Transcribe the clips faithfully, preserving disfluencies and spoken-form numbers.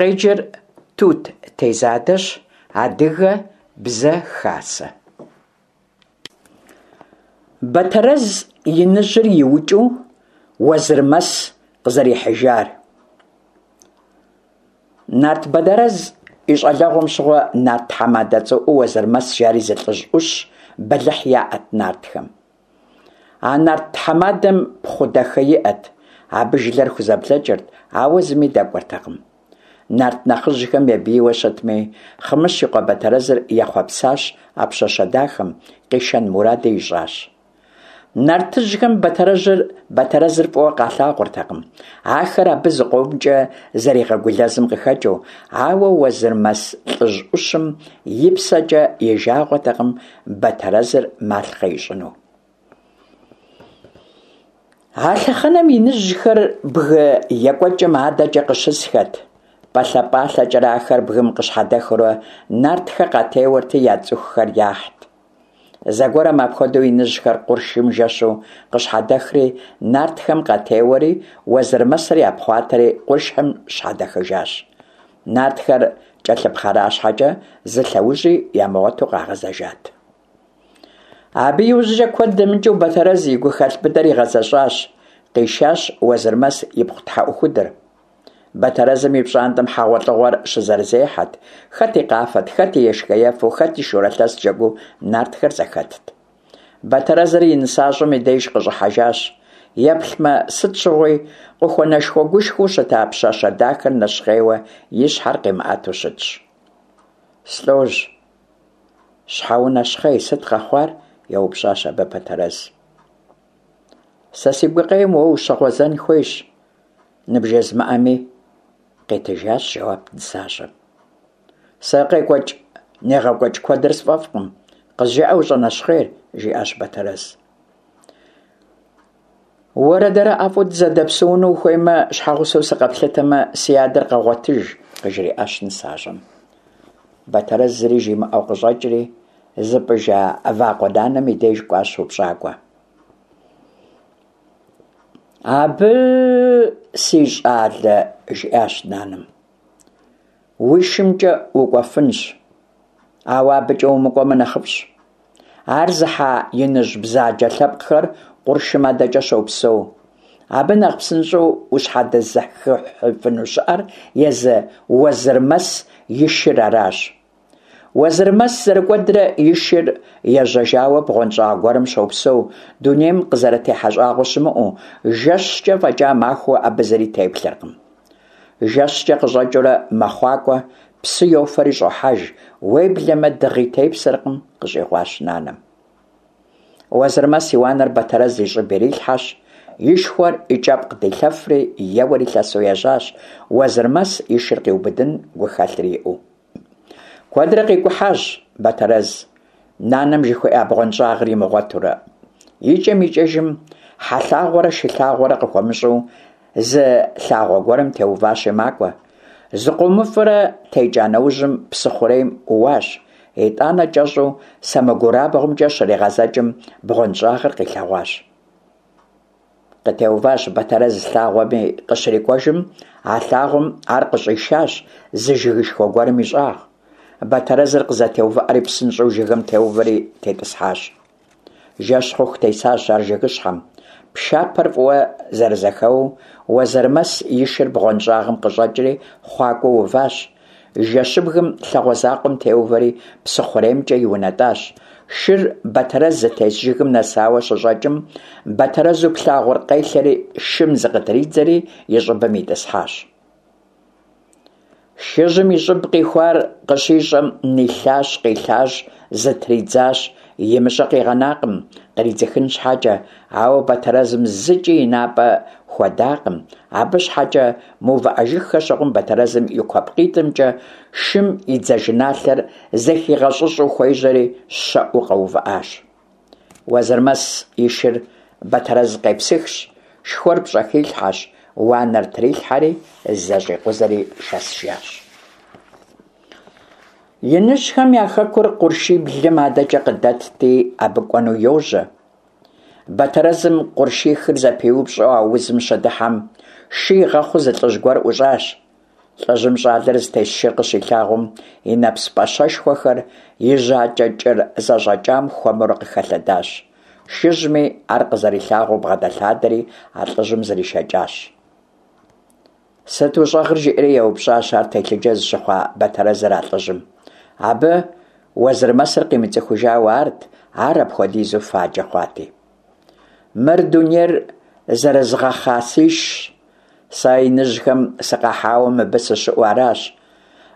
Къеджэр Тут Тезадэщ. Адыгэ Бзэ Хасэ. Бэтэрэз иныжьыр иукӏыу Уэзырмэс къызэрихьыжар. Нарт Бэтэрэз и щӏалэгъуэм щыгъуэ нарт тхьэмадэ цӏэрыӏуэу Уэзырмэс жари зы лӏыжь ӏущ бэлыхь яӏэт нартхэм. А нарт тхьэмадэм пхъу дахэ иӏэт, абы жылэр хузэблэкӏырт, ауэ зыми дэкӏуэртэкъым. Нарт нэхъыжьхэм я бийуэ щытми, Хъымыщ и къуэ Бэтэрэзыр ехъуэпсащ а пщащэ дахэм, къишэн муради ищӏащ. Нартыжьхэм Бэтэрэжьыр Бэтэрэзыр фӏыуэ къалъагъуртэкъым, ахэр абы зыкъомкӏэ зэригъэгулэзым къыхэкӏыу, ауэ Уэзырмэс лӏыжь ӏущым и псэкӏэ и жагъуэтэкъым Бэтэрэзыр малъхъэ ищӏыну. А лъэхъэнэм иныжьхэр бгы екӏуэкӏым адэкӏэ къыщысхэт. Пӏалъэ-пӏалъэкӏэрэ ахэр бгым къыщхьэдэхыурэ нартхэр къатеуэрти я цӏыхухэр яхьт. Зэгуэрым апхуэдэу иныжьхэр къуршым жэщу къыщхьэдэхри нартхэм къатеуэри Уэзырмэсыр япхъуатэри къуршым щхьэдэхыжащ. Нартхэр кӏэлъыпхъэра щхьэкӏэ зы лъэужьи ямыгъуэту къагъэзэжат. Абы иужькӏэ куэд дэмыкӏыу Бэтэрэз и гухэлъ быдэр игъэзэщӏащ, къишащ Уэзырмэс ипхъу тхьэӏухудыр. Бэтэрэзым и пщӏантӏэм хьэгъуэлӏыгъуэр щызэрызехьэт, хэти къафэт, хэти ешхэ-ефэу, хэти шурэлъэс джэгуу нартхэр зэхэтт. Бэтэрэзыр и нысащӏэм и деж къыщӏыхьэжащ. Еплъмэ, сыт щыгъуи къыхуэнэшхуэгушхуэу щыта пщащэ дахэр нэщхъейуэ и щхьэр къимыӏэту щытщ. Слӏожь, щхьэ унэщхъей, сыт къэхъуар? Еупщӏащ абы Бэтэрэз. Сэ си гукъеуэм уэ ущыгъуэзэн хуейщ, ныбжезмыӏэми, къитыжащ жэуап нысащӏэм. Сэ къекӏуэкӏ негъэкӏуэкӏ куэдыр сфӏэфӏкъым, къызжыӏэ ущӏэнэщхъейр, жиӏащ Бэтэрэз. Уэрэ дэрэ ӏэфӏу дызэдэпсэуну ухуеймэ, щхьэгъусэу сыкъэплъытэмэ, си адэр къэгъуэтыж, къыжриӏащ нысащӏэм. Бэтэрэз зыри жимыӏэу къыщӏэкӏри, зыпӏыжа вакъуэ нанэм и деж кӏуащ упщӏакӏуэ. Абы, си щӏалэ, жиӏащ нанэм, уи шымкӏэ укӏуэфынщ, ауэ абыкӏэ умыкӏуэмэ нэхъыфӏщ. Ар зыхьа иныжь бзаджэ лъэпкъхэр къуршым адэкӏэ щопсэу. Абы нэхъ псынщӏэу ущхьэдэзыхыфыну щыӏэр езы Уэзырмэс и шыр аращ. Уэзырмэс зэрыкӏуэдрэ и шыр ежьэжауэ бгъуэнщӏагъ гуэрым щопсэу, дунейм къызэрытехьэ щӏагъуэ щымыӏэу, жэщкӏэ фӏэкӏа махуэу абы зыри теплъэркъым. Жэщкӏэ къыщӏэкӏыурэ мэхъуакӏуэ, псы йофэри щӏохьэж, уеблэмэ дыгъи тепсэркъым, къыщӏигъуащ нанэм. Уэзырмэс и уанэр Бэтэрэз и щӏыб ирилъхьэщ, и шхуэр и кӏэпкъ дилъэфри, еуэри лъэсу ежьащ, Уэзырмэс и шыр къиубыдын гухэлъыр иӏэу. Куэдрэ къикӏухьащ Бэтэрэз, нанэм жыхуиӏа бгъуэнщӏагъыр имыгъуэтурэ. Икӏэм-икӏэжым хьэ лъагъуэрэ шы лъагъуэрэ къыхуэмыщӏэу зы лъагъуэ гуэрым теуващи макӏуэ. Зыкъомыфӏрэ текӏа нэужьым псы хъурейм ӏууащ. Итӏанэ кӏэщӏу сэмэгурабгъумкӏэ щригъэзэкӏым бгъуэнщӏагъыр къилъэгъуащ. Къытеуващ Бэтэрэз лъагъуэми къыщрикӏуэжым, а лъагъуэм ар къыщӏишащ зы жыгышхуэ гуэрым и щӏагъ. Бэтэрэзыр къызэтеувыӏэри псынщӏэу жыгым теувэри тетӏысхьащ. Жэщ хъуху тесащ ар жыгыщхьэм. Пшапэр фӏыуэ зэрызэхэуэу Уэзырмэс и шыр бгъуэнщӏагъым къыщӏэкӏри хъуакӏуэу уващ. Жэщыбгым лъагъуэ закъуэм теувэри псы хъуреймкӏэ иунэтӏащ. Шыр Бэтэрэз зытес жыгым нэсауэ щыщӏэкӏым, Бэтэрэзу плъагъур къелъэри шым зыкъытридзэри и щӏыбым итӏысхьащ. Шыжьым и щӏыб къихуар къыщищӏэм, нилъащ, къилъащ, зытридзащ, имыщӏэ къигъэнакъым, къридзыхын щхьэкӏэ, ауэ Бэтэрэзым зыкӏи и напӏэ хуэдакъым. Абы щхьэкӏэ мыувыӏэжыххэ щыхъум, Бэтэрэзым и куэпкъитӏымкӏэ шым и дзажэналъэр зэхигъэщӏыщӏу хуежьэри, щэӏуу къэувыӏащ. Уэзырмэс и шыр Бэтэрэз къепсыхщ, шхуэр пщӏэхилъхьэщ, уанэр трилъхьэри, зэщӏикъузэри шэсыжащ. Иныжьхэм я хэкур къуршиблым адэкӏэ къыдэтти, абы кӏуэну йожьэ. Бэтэрэзым къуршихыр зэпиупщӏу аузым щыдыхьэм, шы игъэхъуу зы лӏыжь гуэр ӏущӏащ. Лӏыжьым щӏалэр зытес шыр къыщилъагъум, и нэпс пӏащэшхуэхэр и жьакӏэ кӏыр зэщӏэкӏам хуэмурэ къыхэлъэдащ. Шыжьми ар къызэрилъагъуу бгъэдэлъадэри а лӏыжьым зришэкӏащ. Сыт ущӏэгъыр? – жиӏэри еупщӏащ ар телъыджэ зыщыхъуа Батэрэзыр а лӏыжьым. Абы Уэзырмэсыр къимыцӏыхужауэ арт, ар апхуэдизу фаджэ хъуати. Мыр дунейр зэрызгъэхъа сишщ. Сэ иныжьхэм сыкъахьауэ мыбы сыщыӏэу аращ.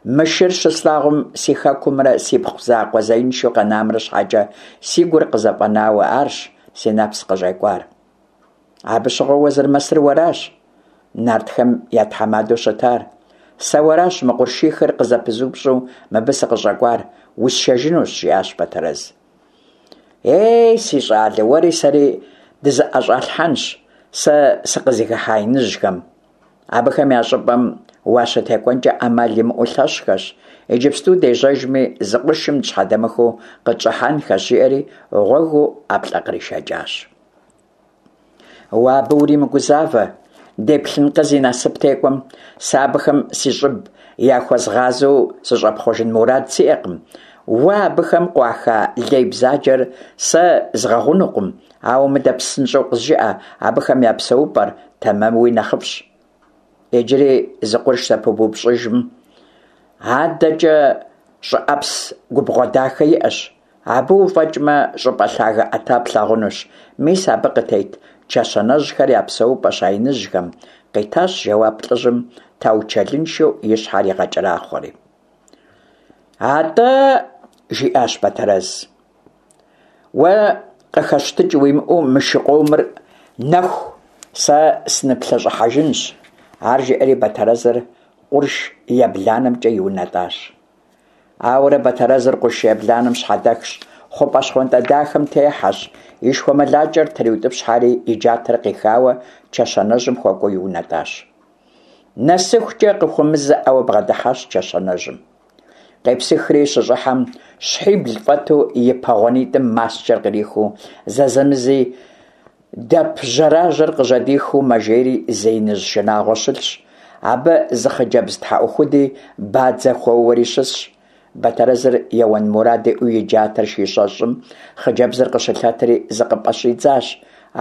Мы шыр щыслъагъум, си хэкумрэ сипхъу закъуэ зеиншэу къэнамрэ щхьэкӏэ си гур къызэфӏэнауэ арщ си нэпс къыщӏекӏуар. Абы щыгъуэ Уэзырмэсыр уэращ, нартхэм я тхьэмадэу щытар. Сэ уэращ мы къуршихыр къызэпызупщӏу мыбы сыкъыщӏэкӏуар, усшэжынущ, – жиӏащ Батэрэз. Ей, си щӏалэ, уэри сэри дызэӏэщӏалъхьэнщ сэ сыкъызыхыхьа иныжьхэм. Абыхэм я щӏыпӏэм уащытекӏуэнкӏэ ӏэмал имыӏэу лъэщхэщ, иджыпсту дежьэжми, зы къуршым дыщхьэдэмыхыу къытщӏыхьэнхэщ, жиӏэри гъуэгыу ӏэплӏэ къришэкӏащ. Уэ абы уримыгузавэ, деплъынкъэ зи насып текӏуэм, сэ абыхэм си щӏыб яхуэзгъазэу сыщӏэпхъуэжын мурад сиӏэкъым. Уэ абыхэм къуаха лей бзаджэр сэ згъэгъунукъым, ауэ мыдэ псынщӏэу къызжыӏэ абыхэм я псэупӏэр, тэмэмуи нэхъыфӏщ. Иджыри зы къурш зэпыбупщӏыжым, адэкӏэ щӏыӏэпс губгъуэ дахэ иӏэщ. Абы уфӏэкӏмэ, щӏыпӏэ лъагэ ӏэта плъагъунущ. Мис абы къытет чэщанэжьхэр я псэупӏэщ а иныжьхэм, къитащ жэуап лӏыжьым, таучэлыншэу и щхьэр игъэкӏэрахъуэри. Атӏэ, жиӏащ Батэрэз, уэ къыхэщтыкӏ уимыӏэу мы шы къомыр нэху, сэ сыныплъэщӏыхьэжынщ. Ар жиӏэри Батэрэзыр къурш ебланэмкӏэ иунэтӏащ. Ауэрэ Батэрэзыр къурш ебланэм щхьэдэхщ, хъупӏэ щхъуантӏэ дахэм техьэщ, и шхуэмылакӏэр триутӏыпщхьэри и джатэр къихауэ чэщанэжьым хуэкӏуэу иунэтӏащ. Нэсыхукӏэ къыхуэмызэӏауэ бгъэдыхьащ чэщанэжьым. Къепсыхри щыщӏыхьэм, щхьибл фӏэту и пэгъуэнитӏым маскӏэр кърихыу, зэзэмызи дэп жьэражьэр къыжьэдихыу мэжейри зы иныжь шынагъуэ щылъщ. Абы зы хъыджэбз тхьэӏухуди бадзэ хуэуэри щысщ. Батэрэзыр еуэн мурад иӏэу и джатэр щищӏэщӏым, хъыджэбзыр къыщылъэтри зыкъыпӏэщӏидзащ.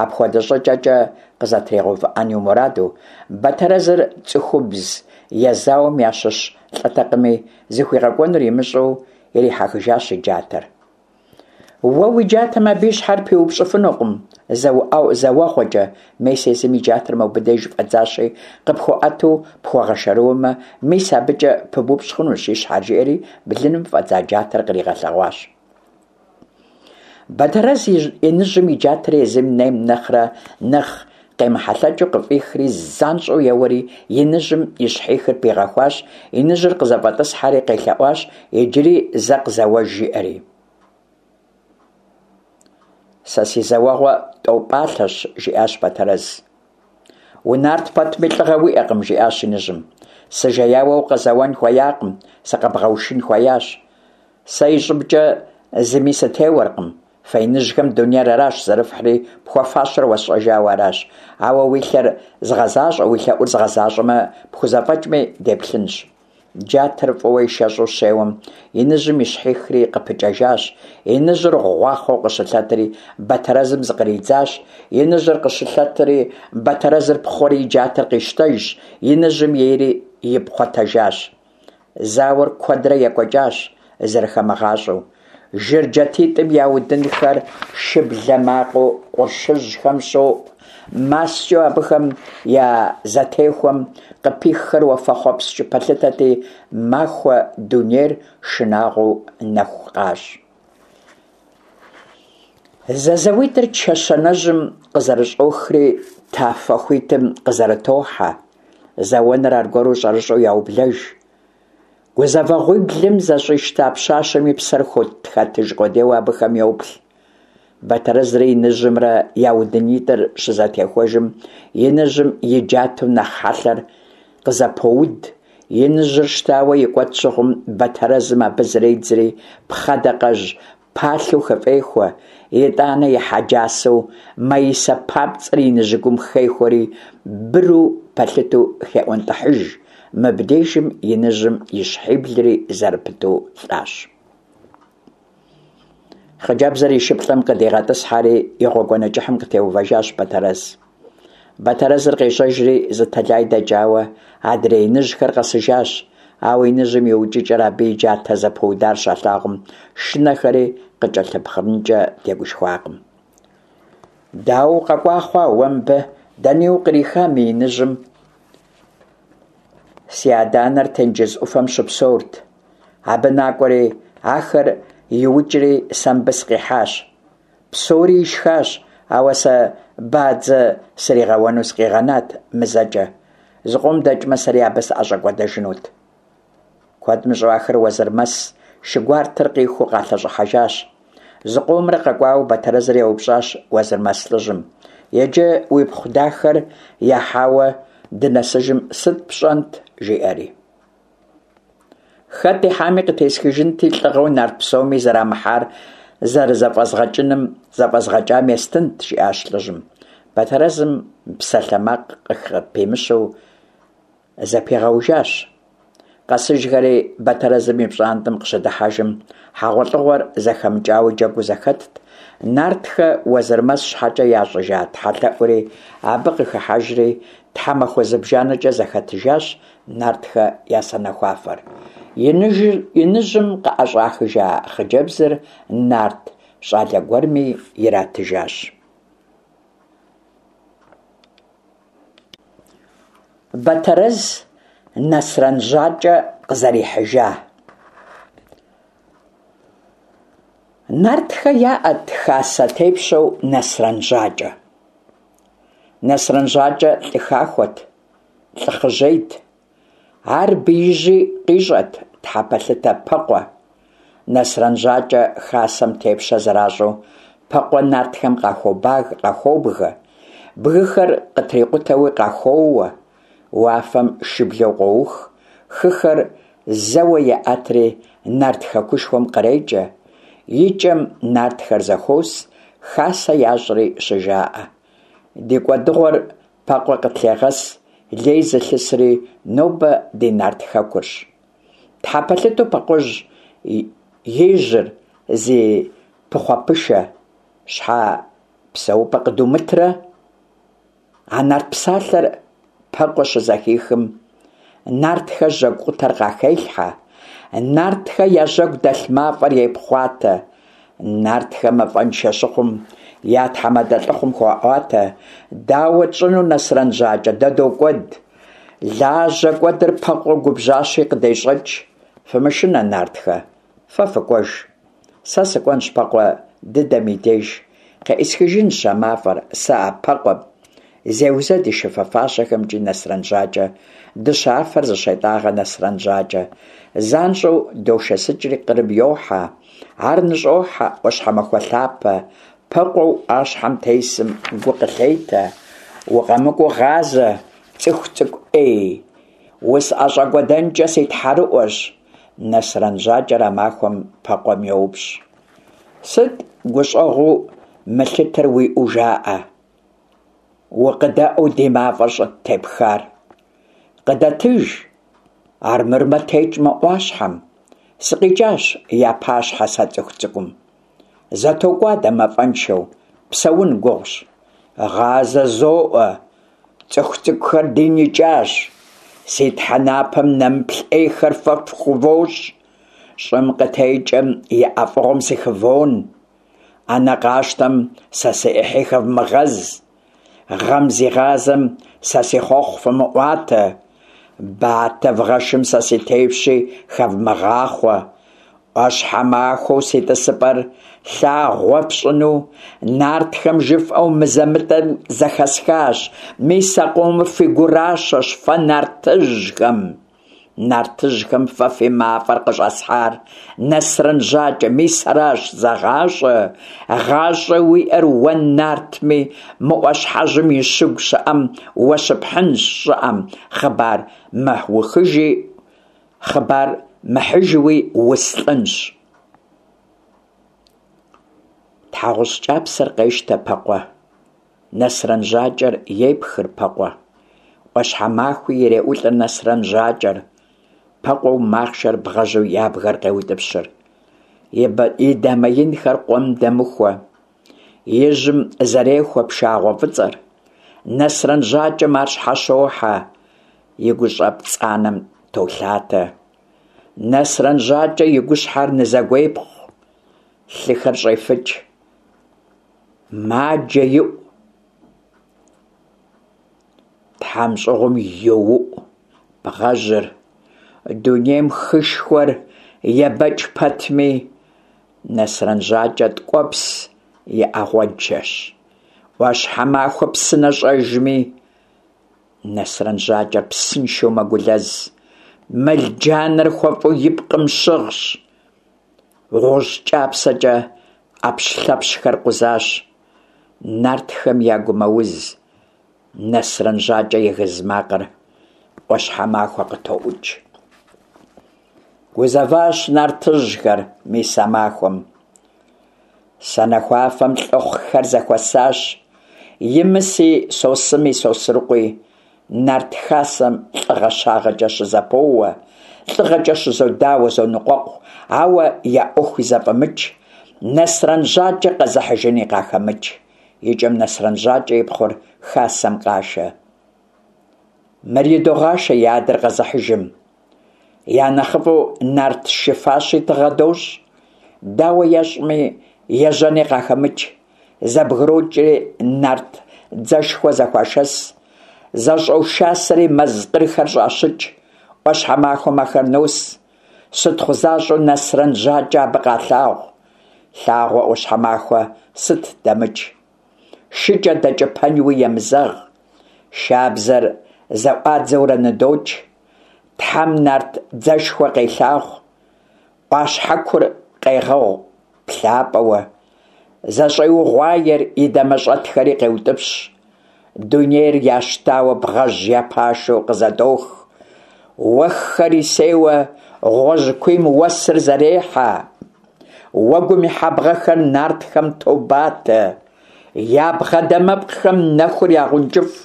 Апхуэдэ щӏыкӏэкӏэ къызэтригъэувыӏэн и мураду, Батэрэзыр цӏыхубз езауэм ящыщ лӏытэкъыми, зыхуигъэкӏуэнур имыщӏэу ирихьэхыжащ и джатэр. Уэ уи джатэм абы и щхьэр пиупщӏыфынукъым зэ уэгъуэкӏэ, мес езым и джатэр мобы деж фӏэдзащи, къыпхуэӏэту пхуэгъэшэрыуэмэ, мис абыкӏэ пыбупщӏ хъунущ и щхьэр, жиӏэри блыным фӏэдза джатэр къригъэлъэгъуащ. Батэрэз иныжьым и джатэр езым нейм нэхърэ нэхъ къемыхьэлъэкӏыу къыфӏихри занщӏэу еуэри иныжьым и щхьихыр пигъэхуащ, иныжьыр къызэфӏэтӏысхьэри къелъэӏуащ иджыри зэ къызэуэж, жиӏэри. Сэ си зэуэгъуэ тӏэу пӏалъэщ, жиӏащ Батэрэз. Унарт пэтми лӏыгъэ уиӏэкъым, жиӏащ иныжьым. Сыжеяуэ укъызэуэн хуеякъым, сыкъэбгъэушын хуеящ. Сэ и щӏыбкӏэ зыми сытеуэркъым. Фэ иныжьхэм дунейр аращ зэрыфхьри, пхуэфащэр уэсщӏэжауэ аращ. Ауэ уи лъэр згъэзащӏэ, уи лъэӏур згъэзащӏэмэ, пхузэфӏэкӏми деплъынщ. Джатэр фӏыуэ ишэщӏу щеуэм, иныжьым и щхьихри къыпыкӏэжащ. Иныжьыр гъуахъуэу къыщылъэтри, Батэрэзым зыкъридзащ. Иныжьыр къыщылъэтри, Батэрэзыр пхъуэри и джатэр къищтэжщ, иныжьым ейри ипхъуэтэжащ. Зауэр куэдрэ екӏуэкӏащ, зэрыхэмыгъащӏэу. Жыр джатитӏым я удынхэр шыблэ макъыу къуршыжьхэм щоӏу. Маскӏэу абыхэм я зэтехуэм къыпиххэр уафэхъуэпскӏ пэлъытэти, махуэ дунейр шынагъуэу нэху къащӏ. Зэзэуитӏыр чэщанэжьым къызэрыщӏохри тафэ хуитым къызэрытохьэ. Зэуэныр аргуэру щӏэрыщӏэу яублэж. Гузэвэгъуиблым зэщӏищта пщащэм и псэр хэтыж къудейуэ абыхэм йоплъ. Батэрэзрэ иныжьымрэ я удынитӏыр щызэтехуэжым, иныжьым и джатэу нэхъ хьэлъэр къызэпоуд. Иныжьыр щтауэ икӏуэт щыхъум, Батэрэзым абы зредзри пхъэдакъэжь палъэу хыфӏехуэ. Итӏанэ и хьэджасэу маисэ папцӏэр иныжьыгум хехуэри, быру пэлъытэу хеӏуэнтӏыхьыж. Мыбдежым иныжьым и щхьиблри зэрыпыту лӏащ. Хъыджэбзыр и шыплӏэм къыдигъэтӏысхьэри, и гъуэгуанэ кӏыхьым къытеувэжащ Бэтэрэз. Бэтэрэзыр къежьэжри зы тэлай дэкӏауэ, адрей иныжьхэр къэсыжащ. Ауэ иныжьым и укӏыкӏэр, абы и джатэ зэпыудар щалъагъум, шынэхэри къыкӏэлъыпхъэрынкӏэ тегушхуакъым. Дауэ укъэкӏуа хъуа уэ мыбы, дэни укъриха мы иныжьым? Си адэ-анэр тенджыз ӏуфэм щыпсэурт. Абы накӏуэри, ахэр иукӏри сэ мыбы сыкъихьащ. Псори ишхащ, ауэ сэ бадзэ сригъэуэну сыкъигъэнат мызэкӏэ. Зыкъом дэкӏмэ, сэри абы сыӏэщӏэкӏуэдэжынут. Куэд мыщӏэу ахэр Уэзырмэс шы гуартэр къихуу къалъэщӏыхьэжащ. Зыкъомрэ къэкӏуауэ Бэтэрэзыр еупщӏащ Уэзырмэс лӏыжьым: «Иджы уипхъу дахэр яхьауэ дынэсыжым сыт пщӏэнт?» жиӏэри. Хэт ихьами къытесхыжынти, лӏыгъэу нарт псоми зэрамыхьар зэрызэфӏэзгъэкӏыным зэфӏэзгъэкӏам естынт, жиӏащ лӏыжьым. Бэтэрэзым псалъэмакъ къыпимыщэу зэпигъэужащ. Къэсыжхэри Бэтэрэзым и пщӏантӏэм къыщыдыхьэжым, хьэгъуэлӏыгъуэр зэхэмыкӏауэ джэгуу зэхэтт. Нартхэ Уэзырмэс щхьэкӏэ ящӏыжа тхьэлъэӏури абы къыхыхьэжри, тхьэмахуэ зыбжанэкӏэ зэхэтыжащ нартхэ я санэхуафэр. Иныжьым къыӏэщӏахыжа хъыджэбзыр нарт щӏалэ гуэрми иратыжащ. Бэтэрэз Нэсрэн Жьакӏэ къызэрихьыжа. Нартхэ яӏэт хасэ тепщэу Нэсрэн Жьакӏэ. Нэсрэн Жьакӏэ лӏы хахуэт, лӏы хъыжьейт. Ар биижьи къищӏэт тхьэпэлъытэ Пэкъуэ. Нэсрэн Жьакӏэ хасэм тепщэ зэращӏу Пэкъуэ нартхэм къахуобгэ, бгыхэр къытрикъутэуи къахуоуэ. Уафэм шыблэу къоух, хыхэр зэуэ еӏэтри нарт хэкушхуэм кърекӏэ. Икӏэм нартхэр зэхуос, хасэ ящӏри щыжаӏэ: «Ди кӏуэдыгъуэр Пэкъуэ къытлъегъэс, лей зылъысри нобэ ди нарт хэкурщ. Тхьэпэлъытэу Пэкъуэжь и жьэр зи пыхъуэпышэ, щхьэ псэупӏэ къыдумытрэ?» А нарт псалъэр Пэкъуэ щызэхихым, нартхэ жьэгу къутэр къахелъхьэ, нартхэ я жьэгу дэлъ мафӏэр епхъуатэ. Нартхэ мафӏэншэ щыхъум, я тхьэмадэ лӏыхъум хуаӏуатэ: «Дауэ тщӏыну, Нэсрэн Жьакӏэ, дэ докӏуэд. Лажьэ кӏуэдыр Пэкъуэ губжьащи къыдещӏэкӏ. Фымышынэ, нартхэ, фэ фыкӏуэж. Сэ сыкӏуэнщ Пэкъуэ дыдэм и деж, къеӏысхыжынщ а мафӏэр сэ а Пэкъуэм». Зеузэд и шыфэ-фащэхэмкӏи Нэсрэн Жьакӏэ, дыщэ афэр зыщетӏагъэ Нэсрэн Жьакӏэ. Занщӏэу дошэсыкӏри къырым йохьэ. Ар ныщӏохьэ ӏуащхьэмахуэ лъапэ. Пэкъуэу ӏуащхьэм тесым гу къылъетэ: «Укъэмыкӏуэу гъазэ, цӏыху цӏыкӏу ӏей, усӏэщӏэкӏуэдэнкӏэ си тхьэрыӏуэщ». Нэсрэн Жьакӏэр а махуэм Пэкъуэм йоупщӏ: «Сыт гущӏэгъуу мылъытэр уиӏэу жаӏэ, укъыдэӏэу ди мафӏэр щӏыттепхар? Къыдэтыж, армырмэ текӏ мы ӏуащхьэм. Сыкъикӏащ я пащхьэ сэ цӏыху цӏыкӏум. Зэтокӏуадэ мафӏэншэу, псэун гугъущ. Гъазэ зоӏуэ, цӏыху цӏыкӏухэр дин икӏащ. Си тхьэнапэм нэмыплъ ӏейхэр фэ фхувощӏ. Щӏым къытекӏэм и ӏэфӏыгъуэм сыхывон. ӏэнэ къащтэм сэ си ӏыхьи хэвмыгъэз. Гъэм зигъазэм сэ си хъуэхъу фымыӏуатэ. Батэ вгъэшым сэ си тепщи хэвмыгъахъуэ. ӏуащхьэмахуэу си тӏысыпӏэр лъагъуэ фщӏыну нартхэм жыфӏэу мызэ-мытӏэу зэхэсхащ. Мис а къомыр фи гуращэщ фэ нартыжьхэм. Нартыжьхэм фэ фи мафӏэр къыщӏэсхьар, Нэсрэн Жьакӏэ, мис аращ, зэгъащӏэ. Гъащӏэ уиӏэр уэ нартми, мы ӏуащхьэжьым и щыгу щыӏэм уэ щыпхьынщ щӏыӏэм, хъыбар мыухыжи, хъыбар мыхьыжуи услӏынщ». Тхьэгъущӏ кӏапсэр къещтэ Пэкъуэ. Нэсрэн Жьакӏэр епхыр Пэкъуэ. ӏуащхьэмахуи иреӏулӏыр Нэсрэн Жьакӏэр, Пэкъуэу махъшэр бгъэжьу ябгэр къеутӏыпщыр. И дамэ инхэр къуэм дэмыхуэ, и жьым зэрехуэ пшагъуэ фӏыцӏэр. Нэсрэн Жьакӏэм ар щхьэщохьэ, и гущӏэ пцӏанэм толъатэ. Нэсрэн Жьакӏэ и гущхьэр нызэгуепхъу, лъыхэр щӏефыкӏ. Маджэ иӏу, тхьэмщӏыгъум йоуӏу бгъэжьыр. Дунейм хышхуэр ебэкӏ пэтми, Нэсрэн Жьакӏэ ткӏуэпс и ӏэгъуэджэщ. ӏуащхьэмахуэ псынэ щӏэжми, Нэсрэн Жьакӏэр псыншэу мэгулэз. Мэл джанэр хуэфӏу и пкъым щыгъщ. Гъущӏ кӏапсэкӏэ ӏэпщлъэпщхэр къузащ. Нартхэм я гумэуз Нэсрэн Жьакӏэ и гыз макъыр ӏуащхьэмахуэ къытоӏукӏ. Гузэващ нартыжьхэр мис а махуэм. Санэхуафэм лӏыхъухэр зэхуэсащ. Имыси, Сосыми, Сосрыкъуи нарт хасэм лӏыгъэ щагъэкӏэ щызэпоуэ, лӏыгъэкӏэ щызодауэ, зоныкъуэкъу, ауэ я ӏуэхуи зэфӏэмыкӏ, Нэсрэн Жьакӏэ къэзыхьыжыни къахэмыкӏ. Икӏэм Нэсрэн Жьакӏэ и пхъур хасэм къашэ. Мыр идогъашэ и адэр къэзыхьыжым. Я нэхъыфӏу нарт шы фащи тыгъэ дощӏ. Дауэ ещӏми, ежьэни къахэмыкӏ. Зэбгрокӏри нарт дзэшхуэ зэхуашэс. Зэщӏошасэри мэз къырхэр щӏащыкӏ. ӏуащхьэмахуэм ахэр нос. Щытхъу защӏэу Нэсрэн Жьакӏэ абы къалъагъу. Лъагъуэ ӏуащхьэмахуэ сыт дэмыкӏ. Шыкӏэ дэкӏыпэнуи емызэгъ. Шабзэр зэӏуадзэурэ ныдокӏ. Тхьэм нарт дзэшхуэ къелъагъу. ӏуащхьэкур къегъэгъу плъапӏэуэ. Зэщӏеугъуаер и дамэщӏэтхэри къеутӏыпщ. Дунейр ящтауэ бгъэжь я пашэу къызэдох. Уэххэр исейуэ гъуэжькуийм уэсыр зэрехьэ. Уэгум и хьэбгъэхэр нартхэм тобатэ. Я бгъэ дамэпкъхэм нэхур ягъункӏыфӏ.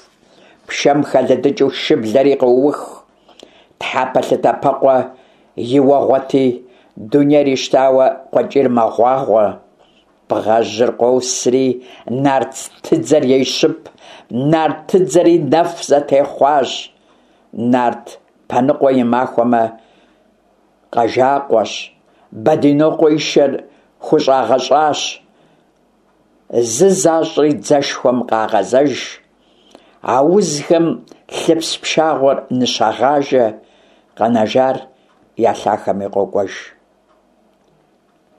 Пшэм хэлыдыкӏыу шыблэри къоух. Тхьэпэлъытэ Пэкъуэ и уэгъуэти, дунейр ищтауэ къуэкӏийр мэгъуагъуэ. Бгъэжьыр къосри нартыдзэр ещып, нартыдзэри нэф зэтехъуащ. Нарт Пэныкъуэ и махуэмэ къэжакъуэщ, Бэдинокъуэ и шэр хущӏагъэщӏащ. Зы защӏри дзэшхуэм къагъэзэж. Аузхэм лъыпс пшагъуэр ныщагъажэ, къэнэжар я лъахэми къокӏуэж.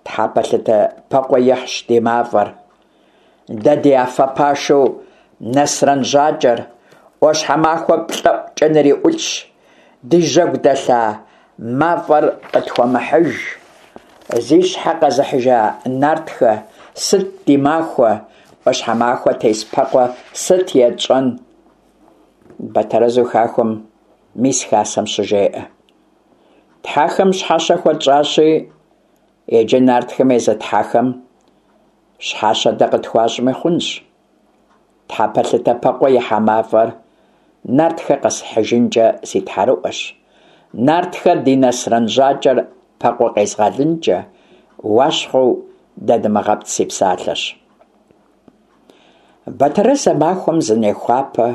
Тхьэпэлъытэ Пэкъуэ ихьщ ди мафӏэр. Дэ ди афэ пашэу Нэсрэн Жьакӏэр ӏуащхьэмахуэ плӏэӏукӏэ ныриӏулӏщ. Ди жьэгу дэлъа мафӏэр къытхуэмыхьыж. Зи щхьэ къэзыхьыжа нартхэ, сыт ди махуэ? ӏуащхьэмахуэ тес Пэкъуэ сыт етщӏэн? Бэтэрэзу хахуэм мис хасэм щыжеӏэ. Тхьэхэм щхьэщэ хуэтщӏащи, иджы нартхэм езы тхьэхэм щхьэщэ дэ къытхуащӏми хъунщ. Тхьэпэлъытэ Пэкъуэ ихьа мафӏэр нартхэ къэсхьыжынкӏэ си тхьэрыӏуэщ. Нартхэ ди Нэсрэн Жьакӏэр Пэкъуэ къезгъэлынкӏэ, уащхъуэу дадымыгъэпцӏ си псалъэщ. Бэтэрэз а махуэм зынехуапэ,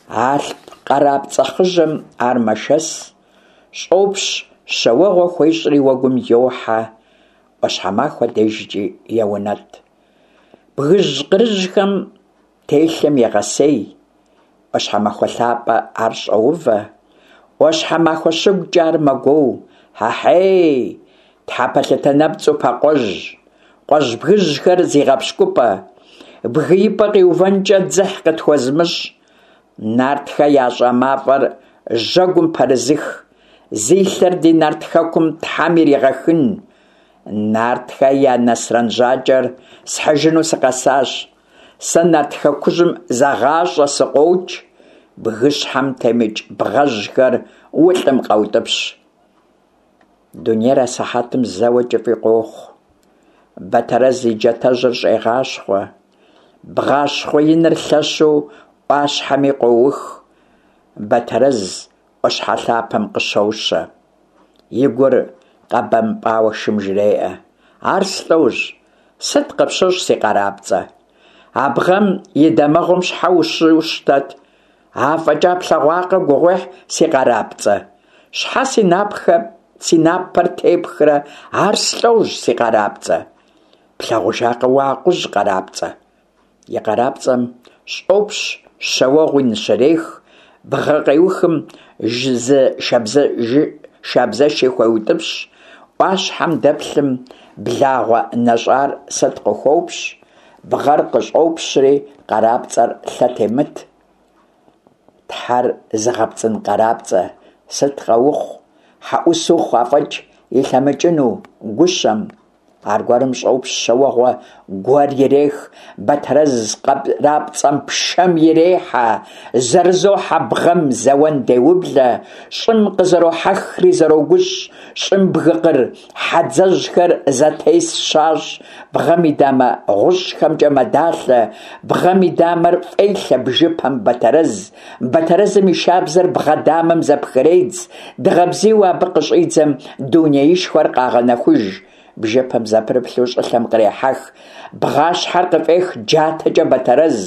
Алъп къарапцӏэ хъыжьэм ар мэшэс, щӏопщ щэуэгъуэ хуещӏри уэгум йохьэ, ӏуащхьэмахуэ дежкӏи еунэтӏ. Бгыжь къырыжьхэм телъым егъэсей, ӏуащхьэмахуэ лъапэ ар щӏоувэ, ӏуащхьэмахуэ щыгукӏэ ар мэгуоу. Хьэхьей, тхьэпэлъытэ нэпцӏу Пэкъуэжь, къуэжь бгыжьхэр зигъэпщкӏупӏэ, бгыипӏэ къиувэнкӏэ дзыхь къытхуэзымыщӏ, нартхэ ящӏа мафӏэр жьэгум пэрызых, зи лъэр ди нарт хэкум тхьэм иригъэхын. Нартхэ я Нэсрэн Жьакӏэр схьыжыну сыкъэсащ. Сэ нарт хэкужьым зэгъащӏэ сыкъокӏ, бгыщхьэм темыкӏ бгъэжьхэр улӏым къэутӏыпщ. Дунейр асыхьэтым зэуэ кӏыфӏи къохъу. Бэтэрэз и джатэжьыр щӏегъащхъуэ. Бгъащхъуэ иныр лъэщу ӏуащхьэми къоух. Бэтэрэз ӏуащхьэ лъапэм къыщощэ. И гур къэбэмпӏауэ шым жреӏэ: «Ар слӏожь, сыт къыпщыщӏ, си къарапцӏэ? А бгъэм и дамэгъум щхьэ ущыщтэт? Афӏэкӏа плъэгъуакъэ гугъуехь, си къарапцӏэ? Щхьэ си напэр тепхрэ, ар слӏожь, си къарапцӏэ? Плъагъужакъэ уэ акъужь, къарапцӏэ?» И къарапцӏэм щӏопщ щэ уэгъуи ныщрех, бгъэ къеухым зы шабзэши хуеутӏыпщ, ӏуащхьэм дэплъым благъуэ нэщӏар сыт къыхуопщ, бгъэр къыщӏопщри къарапцӏэр лъэ темыт. Тхьэр зыгъэпцӏын къарапцӏэ, сыт къэухъу, хьэӏус ухъу, афӏэкӏ илъэмыкӏыну гущэм. Аргуэрым щӏопщ щэ уэгъуэ гуэр ирех, Бэтэрэз къарапцӏэм пшэм ирехьэ, зэрызохьэ бгъэм зэуэн деублэ, щӏым къызэрохьэхри зэрогущӏ, щӏым бгыкъыр хьэдзэжьхэр зэтес щащӏ, бгъэм и дамэ гъущӏхэмкӏэ мэдалъэ, бгъэм и дамэр фӏелъэ бжыпэм Бэтэрэз, Бэтэрэзым и шабзэр бгъэ дамэм зэпхредз, дыгъэ бзийуэ абы къыщӏидзэм дунеишхуэр къагъэнэхуж. Бжыпэм зэпрыплъу щӏылъэм кърехьэх, бгъащхьэр къыфӏех джатэкӏэ Бэтэрэз,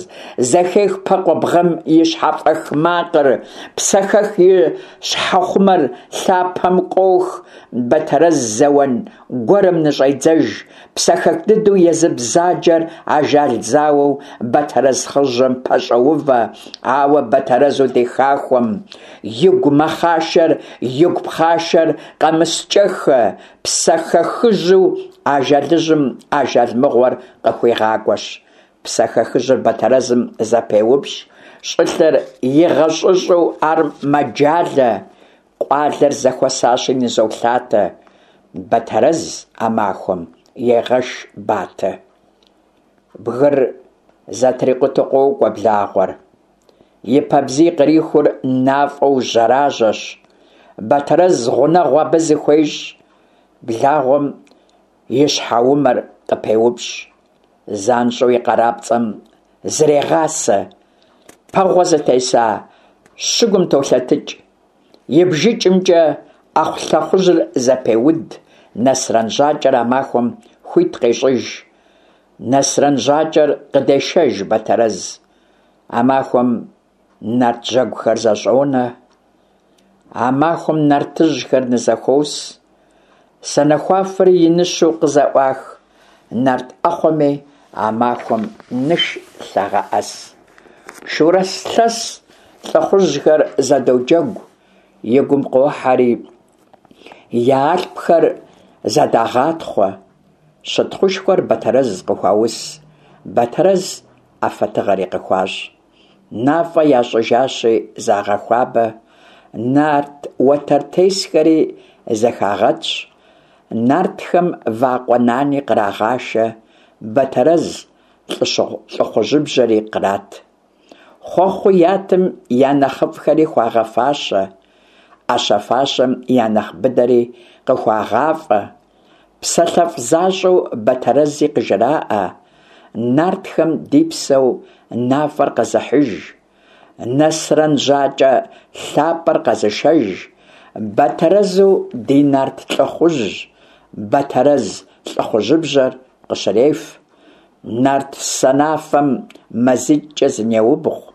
зэхех Пэкъуэ бгъэм и щхьэфӏэх макъыр, Псэхэх и щхьэхъумэр лъапэм къох, Бэтэрэз зэуэн гуэрым ныщӏедзэж, Псэхэх дыдэу езы бзаджэр ажал зауэу Бэтэрэз хъыжьэм пэщӏоувэ, ауэ Бэтэрэзу ди хахуэм игу мэхъашэр, игу пхъашэр къэмыскӏэххэ, Псэхэхыжьу ажалыжьым ажал мыгъуэр къыхуигъакӏуэщ. Псэхэхыжьыр Бэтэрэзым зэпеупщӏ, щӏылъэр игъэщӏыщӏу ар мэджалэ, къуалэр зэхуэсащи нызолъатэ, Бэтэрэз а махуэм егъэш батэ. Бгыр зэтрикъутэу къокӏуэ благъуэр. И пэбзий кърихур нафӏэу жьэражьэщ. Бэтэрэз гъунэгъу абы зыхуещӏ, благъуэм и щхьэумэр къыпеупщӏ. Занщӏэу и къарапцӏэм зрегъасэ. Пэгъуэ зытеса щыгум толъэтыкӏ. И бжыкӏымкӏэ ӏэхъулъэхъужьыр зэпеуд, Нэсрэн Жьакӏэр а махуэм хуит къещӏыж. Нэсрэн Жьакӏэр къыдешэж Бэтэрэз. А махуэм нарт жьэгухэр зэщӏонэ. А махуэм нартыжьхэр нызэхуос. Санэхуафэри иныщу къызэӏуах, нарт ӏэхъуэми а махуэм ныш лъагъэӏэс. Шурэ лъэс лӏыхъужьхэр зэдоджэгу, и гум къохьэри я алъпхэр зэдагъатхъуэ. Щытхъушхуэр Бэтэрэз къыхуаус, Бэтэрэз афэ тыгъэри къыхуащӏ. МафӀэ ящӏыжащи загъэхуабэ, нарт уэтэртесхэри зэхагъэтщ, нартхэм вакъуэ нани кърагъашэ, Бэтэрэз лӏыхъужьыбжьэри кърат. Хъуэхъуу ятым я нэхъыфӏхэри хуагъэфащэ, ӏэщэ-фащэм я нэхъ быдэри къыхуагъафӏэ. Псалъэфӏ защӏэу Бэтэрэзи къыжраӏэ: Нартхэм ди псэу нафӏэр къэзыхьыж, Нэсрэн Жьакӏэ лъапӏэр къэзышэж, Бэтэрэзу ди нарт лӏыхъужь, Бэтэрэз лӏыхъужьыбжьэр къыщреф. Нарт санафэм мазитӏкӏэ зынеубгъу,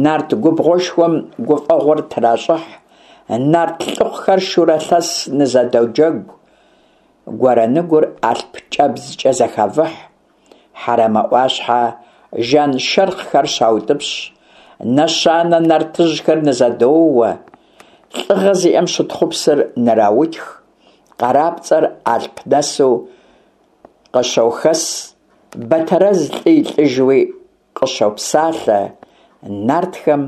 нарт губгъуэшхуэм гуфӏэгъуэр тращӏыхь, нарт лӏыхъухэр шурэ лъэс нызэдоджэгу, гуэрэныгур алъп кӏэбдзкӏэ зэхавыхь, Хьэрэмэ ӏуащхьэ жаншэрхъхэр щаутӏыпщ, нэщанэ нартыжьхэр нызэдоуэ, лӏыгъэ зиӏэм щытхъупсыр ныраутх, къарапцӏэр алъп нэсу къыщохэс, Бэтэрэз лӏы и лӏыжьуи къыщопсалъэ, нартхэм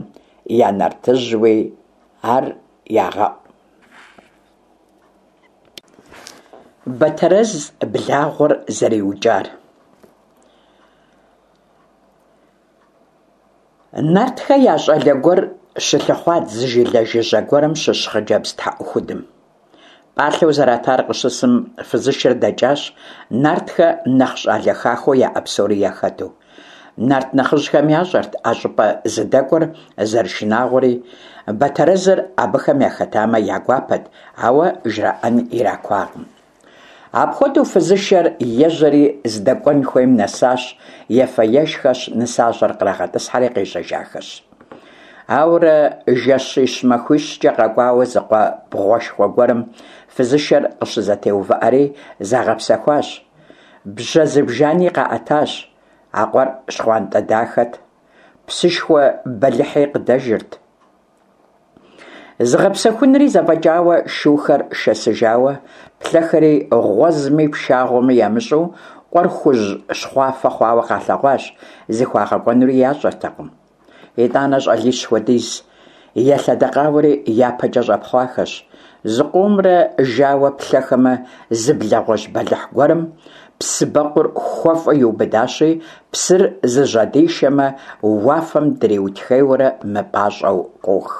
я нартыжьуи ар ягъэӏу. Бэтэрэз благъуэр зэриукӏар. Нартхэ я щӏалэ гуэр щылъыхъуат зы жылэ жыжьэ гуэрым щыщ хъыджэбз тхьэӏухудым. Пӏалъэу зэратар къыщысым, фызышэр дэкӏащ, нартхэ нэхъ щӏалэ хахуэу яӏэ псори яхэту. Нарт нэхъыжьхэм ящӏэрт а щӏыпӏэ зыдэкӏуэр зэрышынагъуэри, Бэтэрэзыр абыхэм яхэтамэ я гуапэт, ауэ жраӏэн иракуакъым. Апхуэдэу фызышэр ежьэри здэкӏуэн хуейм нэсащ, ефэ-ешхэщ, нысащӏэр кърагъэтӏысхьэри къежьэжахэщ. Ауэрэ жэщищ-махуищкӏэ къэкӏуауэ зы къуэ бгъуэшхуэ гуэрым фызышэр къыщызэтеувыӏэри загъэпсэхуащ. Бжьэ зыбжани къаӏэтащ. А къуэр щхъуантӏэ дахэт, псышхуэ бэлыхьи къыдэжырт. Зыгъэпсэхунри зэфӏэкӏауэ, шухэр шэсыжауэ, плъэхэри гъуэзми пшагъуэми ямыщӏэу къуэр хужь-щхъуафэ хъуауэ къалъэгъуащ, зыхуагъэкӏуэнури ящӏэртэкъым. Итӏанэ щӏалищ хуэдиз елъэдэкъауэри япэкӏэ щӏэпхъуахэщ. Зыкъомрэ жауэ плъэхэмэ, зы благъуэжь бэлыхь гуэрым псыбэкъур хуэфӏу иубыдащи, псыр зыжьэдишэмэ, уафэм дриутхейуэрэ мыпӏащӏэу къох.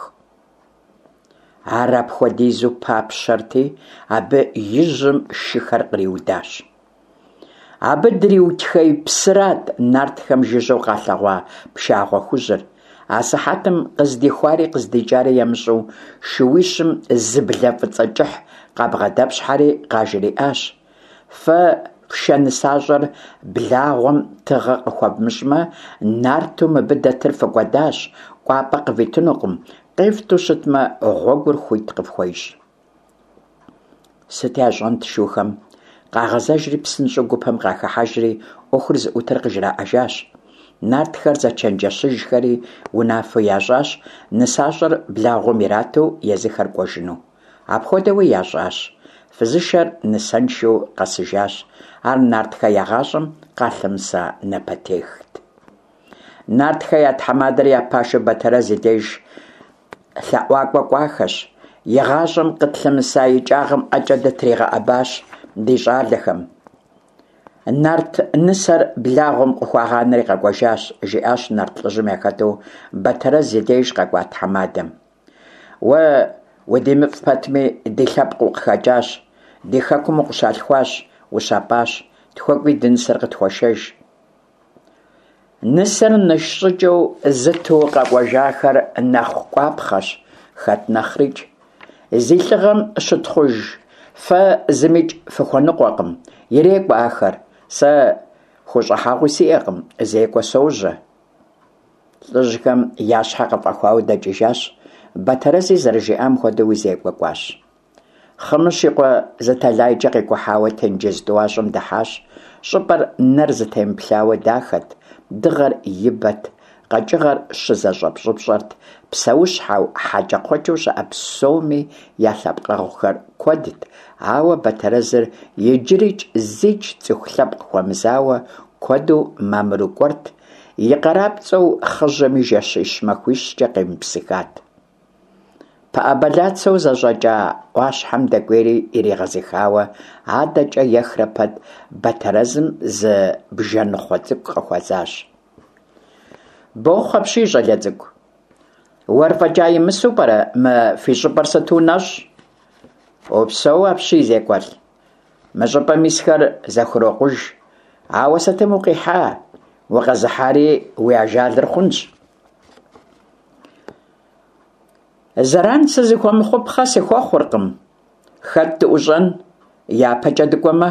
Ар апхуэдизу папщэрти, абы и жьым шыхэр къриудащ. Абы дриутхей псырат нартхэм жыжьэу къалъэгъуа пшагъуэ хужьыр. Асыхьэтым къыздихуари къыздикӏари ямыщӏэу шууищым зы блэ фӏыцӏэ кӏыхь къабгъэдэпщхьэри къажриӏащ: «Фэ фшэ нысащӏэр благъуэм тыгъэ къыхуэвмыщӏмэ, нарту мыбы дэтыр фыкӏуэдащ, кӏуапӏэ къывитынукъым, къефту щытмэ, гъуэгур хуит къыфхуещӏ». Сыт ящӏэнт шухэм? Къагъэзэжри псынщӏэу гупым къахыхьэжри ӏуэхур зыӏутыр къыжраӏэжащ. Нартхэр зэчэнджэщыжхэри унафэу ящӏащ нысащӏэр благъуэм ирату езыхэр кӏуэжыну. Апхуэдэуи ящӏащ. Фызышэр нысэншэу къэсыжащ. Ар нартхэ я гъащӏэм къалъымыса напэтехт. Нартхэ я тхьэмадэр я пашэу Бэтэрэз и деж лъэӏуакӏуэ кӏуахэщ. Игъащӏэм къытлъымыса икӏагъэм ӏэкӏэ дытригъэӏэбащ ди щӏалэхэм. Нарт нысэр благъуэм къыхуагъанэри къэкӏуэжащ, жиӏащ нарт лӏыжьым яхэту Бэтэрэз и деж къэкӏуа тхьэмадэм. Уэ удимыфӏ пэтми, ди лъэпкъ укъыхэкӏащ, ди хэкум укъыщалъхуащ, ущапӏащ, тхуэкӏуи ди нысэр къытхуэшэж. Нысэр ныш щӏыкӏэу зыту къэкӏуэжахэр нэхъ кӏуапхъэщ, хэт нэхърикӏ. Зи лӏыгъэм щытхъуж фэ зымикӏ фыхуэныкъуэкъым, ирекӏуэ ахэр. Сэ хущӏыхьэгъуи сиӏэкъым, зекӏуэ сожьэ. Лӏыжьхэм я щхьэ къыфӏэхуауэ дэкӏыжащ, Бэтэрэзи зэрыжиӏам хуэдэуи зекӏуэ кӏуащ. Хъымыщ и къуэ зы тэлайкӏэ къикӏухьауэ тенджыз тӏуащӏэм дыхьащ. Щӏыпӏэр нэр зытемыплъауэ дахэт, дыгъэр и бэт, къэкӏыгъэр щызэщӏэпщӏыпщӏэрт, псэущхьэу, хьэкӏэкхъуэкӏэу щыӏэ псоми я лъэпкъэгъухэр куэдт, ауэ Бэтэрэзыр иджырикӏ зикӏ цӏыху лъэпкъ хуэмызауэ куэду мамыру кӏуэрт, и къарапцӏэу хъыжьэми жэщищ-махуищкӏэ къемыпсыхат. Пыӏэ бэлацэу зэщӏэкӏа ӏуащхьэм дэкӏуейри иригъэзыхауэ, адэкӏэ ехрэ пэт Бэтэрэзым зы бжэныхъуэ цӏыкӏу къыхуэзащ. Бохъу апщий, щӏалэ цӏыкӏу. Уэр фӏэкӏа имысу пӏэрэ мы фи щӏыпӏэр сыту нэщӏ? Упсэу апщий, зекӏуэлӏ. Мы щӏыпӏэм исхэр зэхурокъуж. Ауэ сытым укъихьа? Укъэзыхьари уи ажалыр хъунщ. Зэран сызыхуэмыхъупхъэ сыхуэхъуркъым. Хэт дыӏущӏэн? Япэкӏэ дыкӏуэмэ?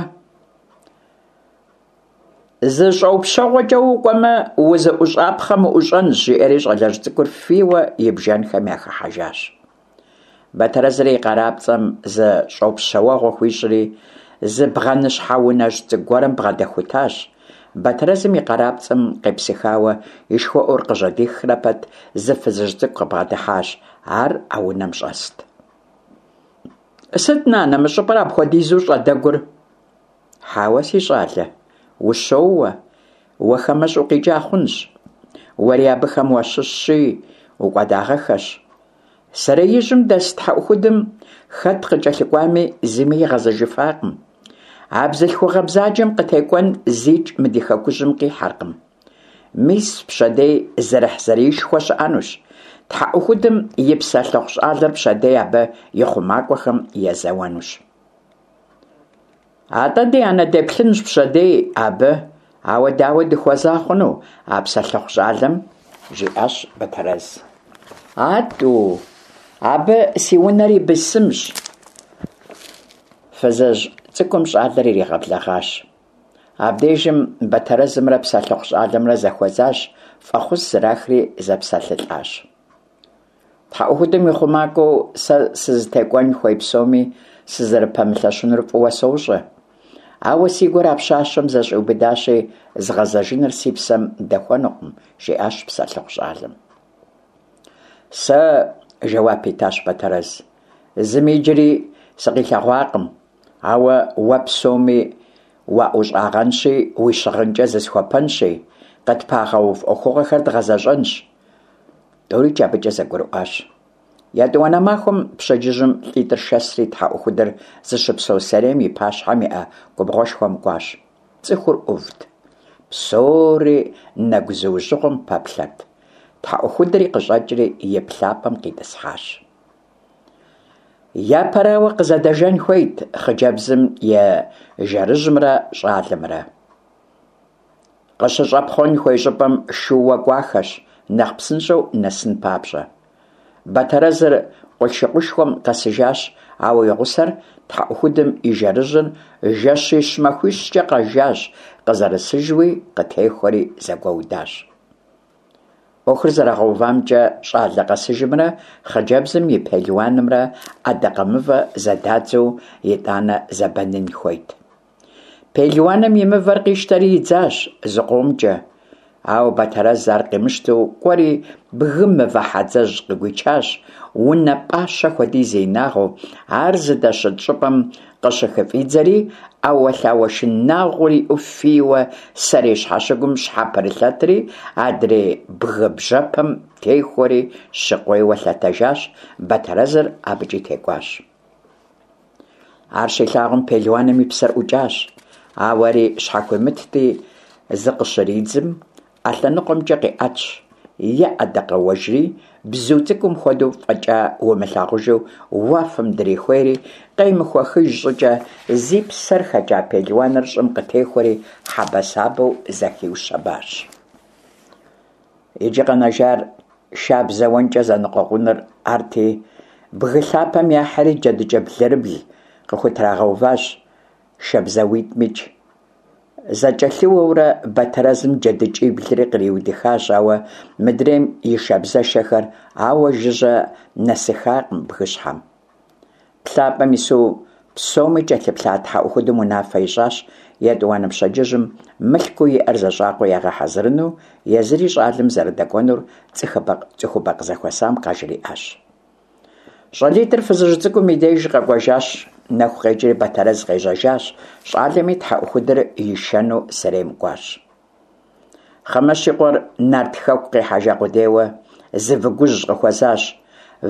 Зы щӏэупщэгъуэкӏэ укӏуэмэ, узыӏущӏапхъэм уӏущӏэнщ, жиӏэри щӏалэжь цӏыкӏур фийуэ и бжэнхэм яхыхьэжащ. Бэтэрэзри и къарапцӏэм зы щӏопщэуэгъуэ хуищӏри, зы бгъэныщхьэ унэжь цӏыкӏу гуэрым бгъэдэхутащ. Бэтэрэзым и къарапцӏэм къепсыхауэ и шхуэӏур къыжьэдихрэ пэт зы фызыжь цӏыкӏу къыбгъэдыхьащ. Ар а унэм щӏэст. Сыт, нанэ, мы щӏыпӏэр апхуэдизу щӏэдэгур? Хьэуэ, си щӏалэ, ущоуэ, уэ хамэщӏ укъикӏа хъунщ. Уэри абыхэм уащыщщи, укӏуэдагъэххэщ. Сэреижьым дэс тхьэӏухудым хэт къыкӏэлъыкӏуами зыми игъэзэжыфакъым. А бзылъхугъэ бзаджэм къытекӏуэн зикӏ мы ди хэкужьым къихьэркъым. Мис пщэдей зэрыхьзэриишхуэ щыӏэнущ. Тхьэӏухудым и псэлъыхъу щӏалэр пщэдей абы и хъумакӏуэхэм езэуэнущ. Атӏэ ди анэ деплъынщ пщэдей абы, Ауэ дауэ дыхуэза хъуну а псэлъыхъу щӏалэм? – жиӏащ Бэтэрэз. А тӏу, абы си унэр и бысымщ. Фызыжь цӏыкӏум щӏалэр иригъэблэгъащ. Абдежым Бэтэрэзымрэ псэлъыхъу щӏалэмрэ зэхуэзащ, фӏэхъус зэрахри зэпсэлъылӏащ. Тхьэӏухудым и хъумакӏуэу сэ сызытекӏуэн хуей псоми сызэрыпэмылъэщынур фӏыуэ сощӏэ. Ауэ си гур а пщащэм зэщӏиубыдащи, згъэзэжыныр си псэм дэхуэнукъым, жиӏащ псэлъыхъу щӏалэм. Сэ, жэуап итащ Бэтэрэз, зыми иджыри сыкъилъэгъуакъым, ауэ уэ псоми уаӏущӏагъэнщи, уи щыгъынкӏэ зысхуэпэнщи, къытпагъэув ӏуэхугъуэхэр дгъэзэщӏэнщ. Тӏурикӏ абыкӏэ зэгурыӏуащ. Етӏуанэ махуэм пщэдджыжьым лӏитӏыр шэсри тхьэӏухудыр зыщыпсэу сэрейм и пащхьэм иӏэ губгъуэшхуэм кӏуащ. Цӏыхур ӏувт. Псори нэгузыужьыгъуэм пэплъэрт. Тхьэӏухудри къыщӏэкӏри и плъапӏэм къитӏысхьащ. Япэрауэ, къызэдэжэн хуейт хъыджэбзым и жэрыжьымрэ щӏалэмрэ. Къыщыщӏэпхъуэн хуей щӏыпӏэм шууэ кӏуахэщ, нэхъ псынщӏэу нэсын папщӏэ. Бэтэрэзыр къулъшыкъушхуэм къэсыжащ, ауэ и гъусэр тхьэӏухудым и жэрыжьыр жэщищ-махуищкӏэ къэжащ, къызэрысыжуи къытехуэри зэгуэудащ. Ӏуэхур зэрагъэувамкӏэ, щӏалэ къэсыжымрэ хъыджэбзым и пелуанымрэ ӏэдакъэмывэ зэдадзу итӏанэ зэбэнын хуейт. Пелуаным и мывэр къищтэри идзащ зыкъомкӏэ, ауэ Бэтэрэз ар къимыщтэу кӏуэри бгым мывэ хьэдзэжь къыгуичащ, унэ пӏащэ хуэдиз и инагъыу, ар зыдэщыт щӏыпӏэм къыщыхыфӏидзэри, ӏэуэлъауэ шынагъуэр иӏэу фийуэ сэрей щхьэщыгум щхьэпрылъэтри, адрей бгы бжьэпэм техуэри щыкъуейуэ лъэтэжащ, Бэтэрэзыр абыкӏи текӏуащ. Ар щилъагъум пелуаным и псэр ӏукӏащ, ауэ ари щхьэхуимытти, зыкъыщридзым, ӏэ лъэныкъуэмкӏэ къиӏэтщ, еӏэдэкъэуэжри, бзу цӏыкӏум хуэдэу фӏэкӏа умылъагъужу уафэм дрихуейри, къемыхуэхыж щӏыкӏэ зи псэр хэкӏа пелуаныр щӏым къытехуэри хьэбэсабэу зэхиущэбащ. Иджы къэнэжар шабзэ уэнкӏэ зэныкъуэкъуныр арти, бгы лъапэм яхьри джэдыкӏэ блырыбл къыхутрагъэуващ шабзауитӏмикӏ. Зэкӏэлъыуэурэ Бэтэрэзым джэдыкӏиблри къриудыхащ, ауэ мыдрейм и шабзэшэхэр ауэ жыжьэ нэсыхакъым бгыщхьэм. Плъапӏэм ису псоми кӏэлъыплъа тхьэӏухудым унафэ ищӏащ етӏуанэ пщэдджыжьым мылъкуу иӏэр зэщӏакъуэу ягъэхьэзырыну, езыри щӏалэм зэрыдэкӏуэнур цӏыхубэ къызэхуэсам къажриӏащ. Щӏалитӏыр фызыжь цӏыкӏум и деж къэкӏуэжащ, нэху къекӏри Бэтэрэз къежьэжащ, щӏалэми тхьэӏухудыр ишэну сэрейм кӏуащ. Хъымыщ и къуэр Нарт хэку къихьэжа къудейуэ зы выгужь къыхуэзащ.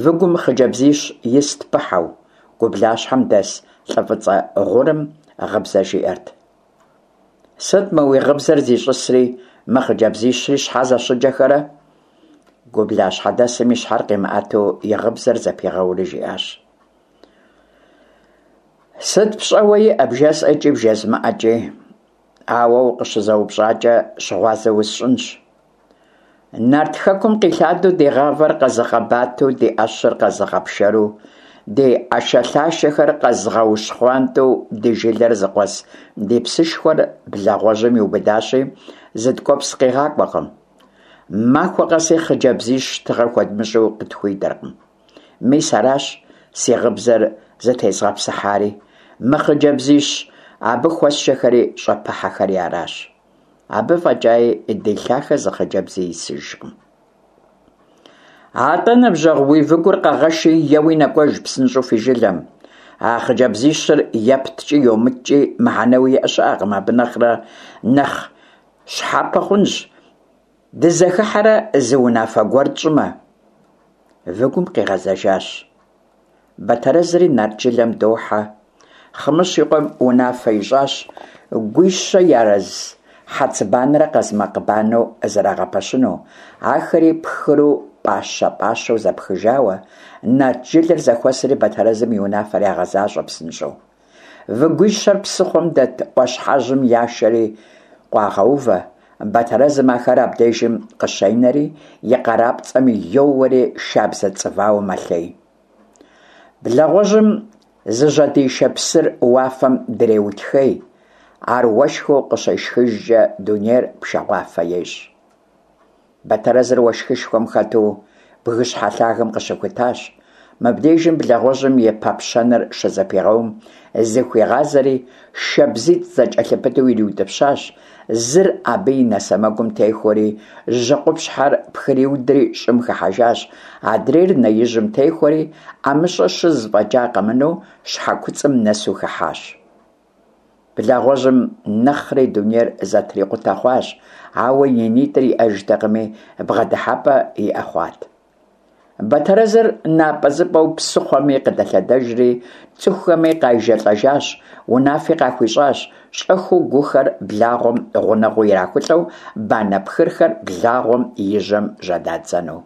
Выгум хъыджэбзищ ист пыхьэу, гублащхьэм дэс лӏы фӏыцӏэ гъурым гъыбзэ жиӏэрт. Сыт мы уи гъыбзэр зищӏысри, мы хъыджэбзищри щхьэ зэщыджэхэрэ? Гублащхьэдэсым и щхьэр къимыӏэту и гъыбзэр зэпигъэури жиӏащ. Сыт пщӏэуэ иӏэ бжесӏэкӏи бжезмыӏэкӏи, ауэ укъыщызэупщӏакӏэ щыгъуазэ усщӏынщ. Нарт хэкум къилъадэу ди гъавэр къэзыгъэбатэу, ди ӏэщыр къэзыгъэпшэру, ди ӏэшэлъашэхэр къэзыгъэущхъуантӏэу ди жылэр зыкъуэс ди псышхуэр благъуэжьым иубыдащи, зы ткӏуэпс къигъакӏуэкъым. Махуэ къэси хъыджэбзищ тыгъэ хуэдмыщӏу къытхуидэркъым. Мис аращ си гъыбзэр зытезгъэпсыхьари, мы хъыджэбзищ абы хуэсшэхэри щӏэпыхьэхэри аращ. Абы фӏэкӏаи ди лъахэ зы хъыджэбзи исыжкъым. Атӏэ, ныбжьэгъу, уи выгур къэгъэши, еуи нэкӏуэж псынщӏэу фи жылэм. А хъыджэбзищыр епткӏи йомыткӏи мыхьэнэуэ иӏэ щыӏэкъым, абы нэхърэ нэхъ щхьэпэ хъунщ дызэхыхьэрэ зы унафэ гуэр тщӏымэ. Выгум къигъэзэжащ. Бэтэрэзри нарт жылэм дохьэ. Хъымыщ и къуэм унафэ ищӏащ гуищэ ярыз хьэцыбанэрэ къазмакъ банэу зэрагъэпэщыну, ахэри пхыру пӏащэ-пӏащэу зэпхыжауэ, нарт жылэр зэхуэсри Бэтэрэзым и унафэр ягъэзащӏэ псынщӏэу. Выгуищэр псыхъуэм дэт ӏуащхьэжьым яшэри къуагъэувэ. Батэрэзым ахэр абдежым къыщенэри, и къарапцӏэм йоуэри шабзэ цӏывауэ мэлъей. Благъуэжьым зыжьэдишэ псыр уафэм дреутхей, ар уэшхыу къыщешхыжкӏэ дунейр пшагъуафэ ещӏ. Батэрэзыр уэшхышхуэм хэту бгыщхьэ лъагэм къыщыхутащ. Мыбдежым благъуэжьым и пэпщэныр щызэпигъэум, зыхуигъазэри шабзитӏ зэкӏэлъыпыту ириутӏыпщащ, зыр абы и нэ сэмэгум техуэри, жьэ къупщхьэр пхриудри щӏым хыхьэжащ, адрейр нэ ижьым техуэри, ӏэмыщӏэ щыз фӏэкӏа къэмынэу, щхьэ куцӏым нэсу хыхьащ. Благъуэжьым нэхъри дунейр зэтрикъутэ хъуащ, ауэ и нитӏыр иӏэжтэкъыми, бгъэдыхьэпӏэ иӏэ хъуат. Батэрэзыр напӏэзыпӏэу псыхъуэми къыдэлъэдэжри, цӏыхухэми къайжэлӏэжащ, унафи къахуищӏащ, щӏэхыу гухэр благъуэм гъунэгъуу ирахулӏэу банэ пхырхэр благъуэм и жьэм жьэдадзэну.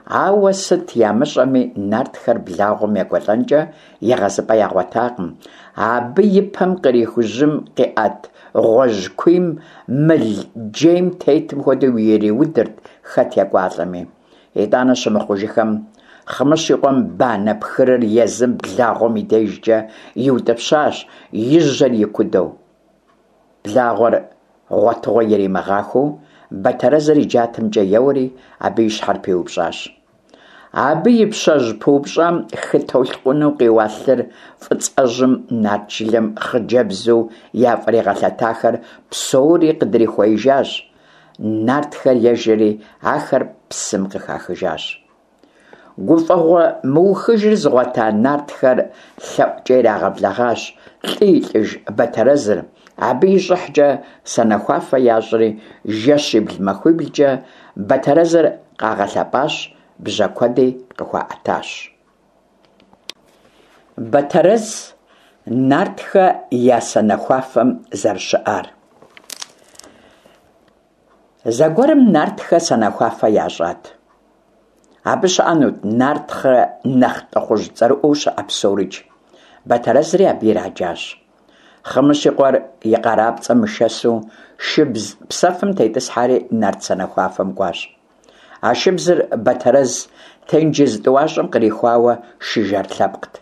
Ауэ сыт ямыщӏэми, нартхэр благъуэм екӏуэлӏэнкӏэ егъэзыпӏэ ягъуэтакъым. Абы и пэм къриху жьым къиӏэт гъуэжькуийм мыл джейм тетым хуэдэу ириудырт хэт екӏуалӏэми. Итӏанэ щымыхъужыхэм, Хъымыщ и къуэм банэ пхырыр езым благъуэм и дежкӏэ иутӏыпщащ, и жьэр икудэу. Благъуэр гъуэтыгъуэ иримыгъахуэу, Батэрэзыр и джатэмкӏэ еуэри, абы и щхьэр пиупщӏащ. Абы и пщэжь пыупщӏам хы толъкъуну къиуа лъыр фӏыцӏэжьым нарт жылэм хъыджэбзу яфӏригъэлъэтахэр псори къыдрихуеижащ. Нартхэр ежэри, ахэр псым къыхахыжащ. Гуфӏэгъуэ мыухыжыр зыгъуэта нартхэр лъэӏукӏэ ирагъэблэгъащ лӏы и лӏыж Батэрэзыр. Абы и щӏыхькӏэ санэхуафэ ящӏри, жэщибл-махуиблкӏэ Батэрэзыр къагъэлъэпӏащ, бжьэ куэди къыхуаӏэтащ. Батэрэз нартхэ я санэхуафэм зэрыщыӏар. Зэгуэрым нартхэ санэхуафэ ящӏат. Абы щыӏэнут нартхэ нэхъ лӏыхъужь цӏэрыӏуэу щыӏэ псорикӏ. Батэрэзри абы ираджащ. Хъымыщ и къуэр и къарапцӏэм мышэсу шыбз псэфым тетӏысхьэри нарт санэхуафэм кӏуащ. А шыбзыр Батэрэз тенджыз тӏуащӏэм кърихуауэ шы жэр лъэпкът.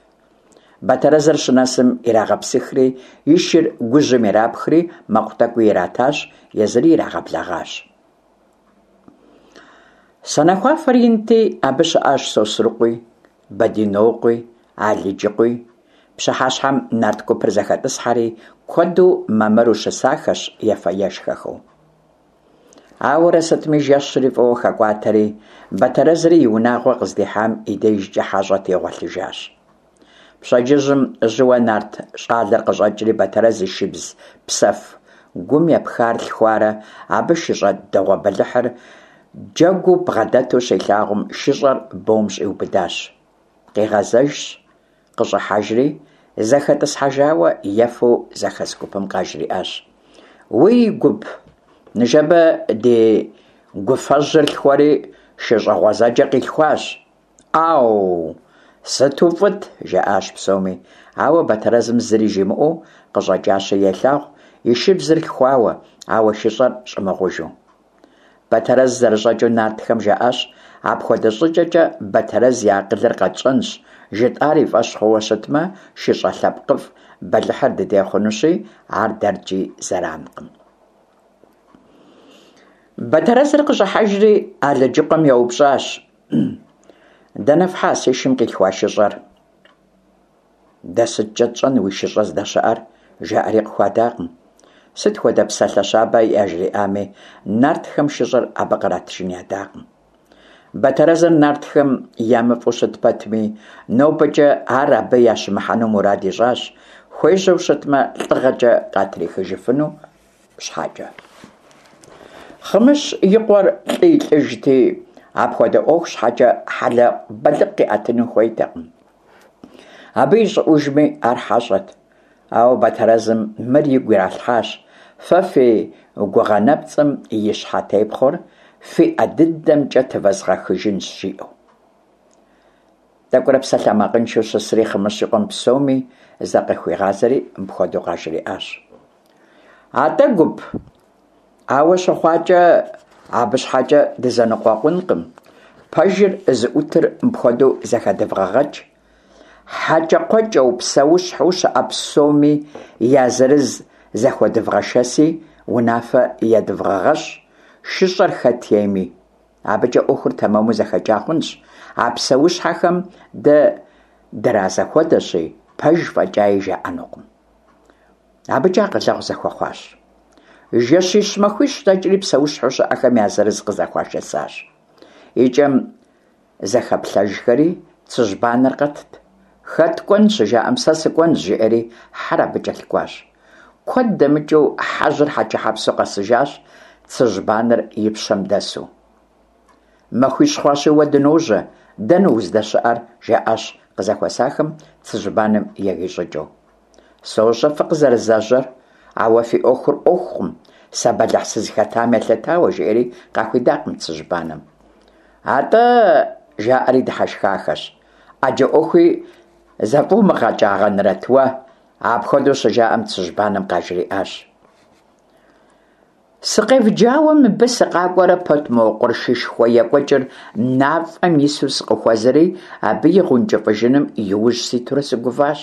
Батэрэзыр щынэсым ирагъэпсыхри, и шыр гужьым ирапхри, мэкъу тӏэкӏуи иратащ, езыри ирагъэблэгъащ. Санэхуафэр инти, абы щыӏащ Сосрыкъуи, Бэдинокъуи, Алыджыкъуи. Пщыхьэщхьэм нарт гупыр зэхэтӏысхьэри, куэду мамыру щысахэщ, ефэ-ешхэхэу. Ауэрэ сытми жэщри фӏыуэ хэкӏуатэри, Батэрэзри и унагъуэ къыздихьам и дежкӏэ хьэщӏэти гъуэлъыжащ. Пщэдджыжьым жьыуэ нарт щӏалэр къыщӏэкӏри Батэрэз и шыбз псэф гум епхар лъхуарэ абы шыщӏэ дэгъуэ бэлыхьыр джэгуу бгъэдэту щилъагъум, шыщӏэр бом щӏиубыдащ. Къигъэзэжщ, къыщӏыхьэжри, зэхэтӏысхьэжауэ ефэу зэхэс гупым къажриӏащ: «Уи гуп, ныжэбэ ди гуфэжьыр лъхуэри шыщӏэ гъуэзэджэ къилъхуащ». «Ӏэу, сыту фӏыт!» – жаӏащ псоми. Ауэ Батэрэзым зыри жимыӏэу къыщӏэкӏащи елъагъу и шыбзыр лъхуауэ, ауэ шыщӏэр щӏымыгъужу. Батэрэз зэрыщӏэкӏыу нартхэм жаӏащ: «Апхуэдэ щӏыкӏэкӏэ Батэрэз и акъылыр къэтщӏэнщ, жытӏар и фӏэщ хъууэ щытмэ, шыщӏэ лъэпкъыфӏ бэлыхьыр дыдей хъунущи, ар дэркӏи зэранкъым». Батэрэзыр къыщӏыхьэжри Алыджыкъуэм еупщӏащ: «Дэнэ фхьа си шым къилъхуа шыщӏэр?» «Дэ сыткӏэ тщӏэн уи шыщӏэр здэщыӏэр?» – жаӏэри къыхуадакъым. Сыт хуэдэ псалъэ щабэ яжриӏами, нартхэм шыщӏэр абы къратыжын ядакъым. Батэрэзыр нартхэм ямыфӏу щыт пэтми, нобэкӏэ ар абы ящымыхьэну мурад ищӏащ, хуежьэу щытмэ, лӏыгъэкӏэ къатрихыжыфыну щхьэкӏэ. Хъымыщ и къуэр лӏы и лӏыжти, апхуэдэ ӏуэху щхьэкӏэ хьэлэбэлыкъ къиӏэтыну хуейтэкъым. Абы ищӏыӏужми ар хьэщӏэт. Ауэ Батэрэзым мыр игу иралъхьащ: «Фэ фи гугъэ нэпцӏым и щхьэтепхъуэр фи ӏэ дыдэмкӏэ тывэзгъэхыжынщ», – жиӏэу. Тӏэкӏурэ псалъэмакъыншэу щысри, Хъымыщ и къуэм псоми закъыхуигъазэри мыпхуэдэу къажриӏащ: Атӏэ, гуп, ауэ щыхъуакӏэ, абы щхьэкӏэ дызэныкъуэкъункъым. Пэжыр зыӀутыр мыпхуэдэу зэхэдывгъэгъэкӏ. ХьэкӀэкхъуэкӀэу, псэущхьэу щыӀэ псоми я зырыз зэхуэдывгъэшэси, унафэ едывгъэгъэщӀ, шыщӀэр хэт ейми. АбыкӀэ Ӏуэхур тэмэму зэхэкӀа хъунщ, а псэущхьэхэм дэ дразэхуэдэщи, пэж фӀэкӀаи жаӀэнукъым. АбыкӀэ акъылэгъу зэхуэхъуащ. Жэщищ-махуищ дэкӀри псэущхьэу щыӀэхэм я зырыз къызэхуашэсащ. ИкӀэм зэхэплъэжхэри, цыжьбанэр къэтт. Хэт кӀуэн щыжаӀэм, сэ сыкӀуэнщ, жиӀэри хьэр абы кӀэлъыкӀуащ. Куэд дэмыкӀыу хьэжьыр хьэчэхьэпсу къэсыжащ, цыжьбанэр и пщэм дэсу. Махуищ хъуащи уэ дыножьэ, дэнэ уздэщыӀэр? жаӀащ къызэхуэсахэм цыжьбанэм егий щӀыкӀэу. СощӀэ фыкъызэрызэжьэр, ауэ фи Ӏуэхур Ӏуэхукъым, сэ бэлыхь сызыхэтам елъытауэ, жиӀэри къахуидакъым цыжьбанэм. АтӀэ, жаӀэри дыхьэшхахэщ, Ӏэджэ Ӏуэхуи зэфӀумыгъэкӀагъэнрэт уэ? Апхуэдэу щыжаӀэм, цыжьбанэм къажриӀащ. Сыкъевджауэ мыбы сыкъакӀуэрэ пэт мо къуршышхуэ екӀуэкӀыр мафӀэм ису сыкъыхуэзэри, абы и гъэункӀыфӀыжыным и ужь ситурэ сыгуващ.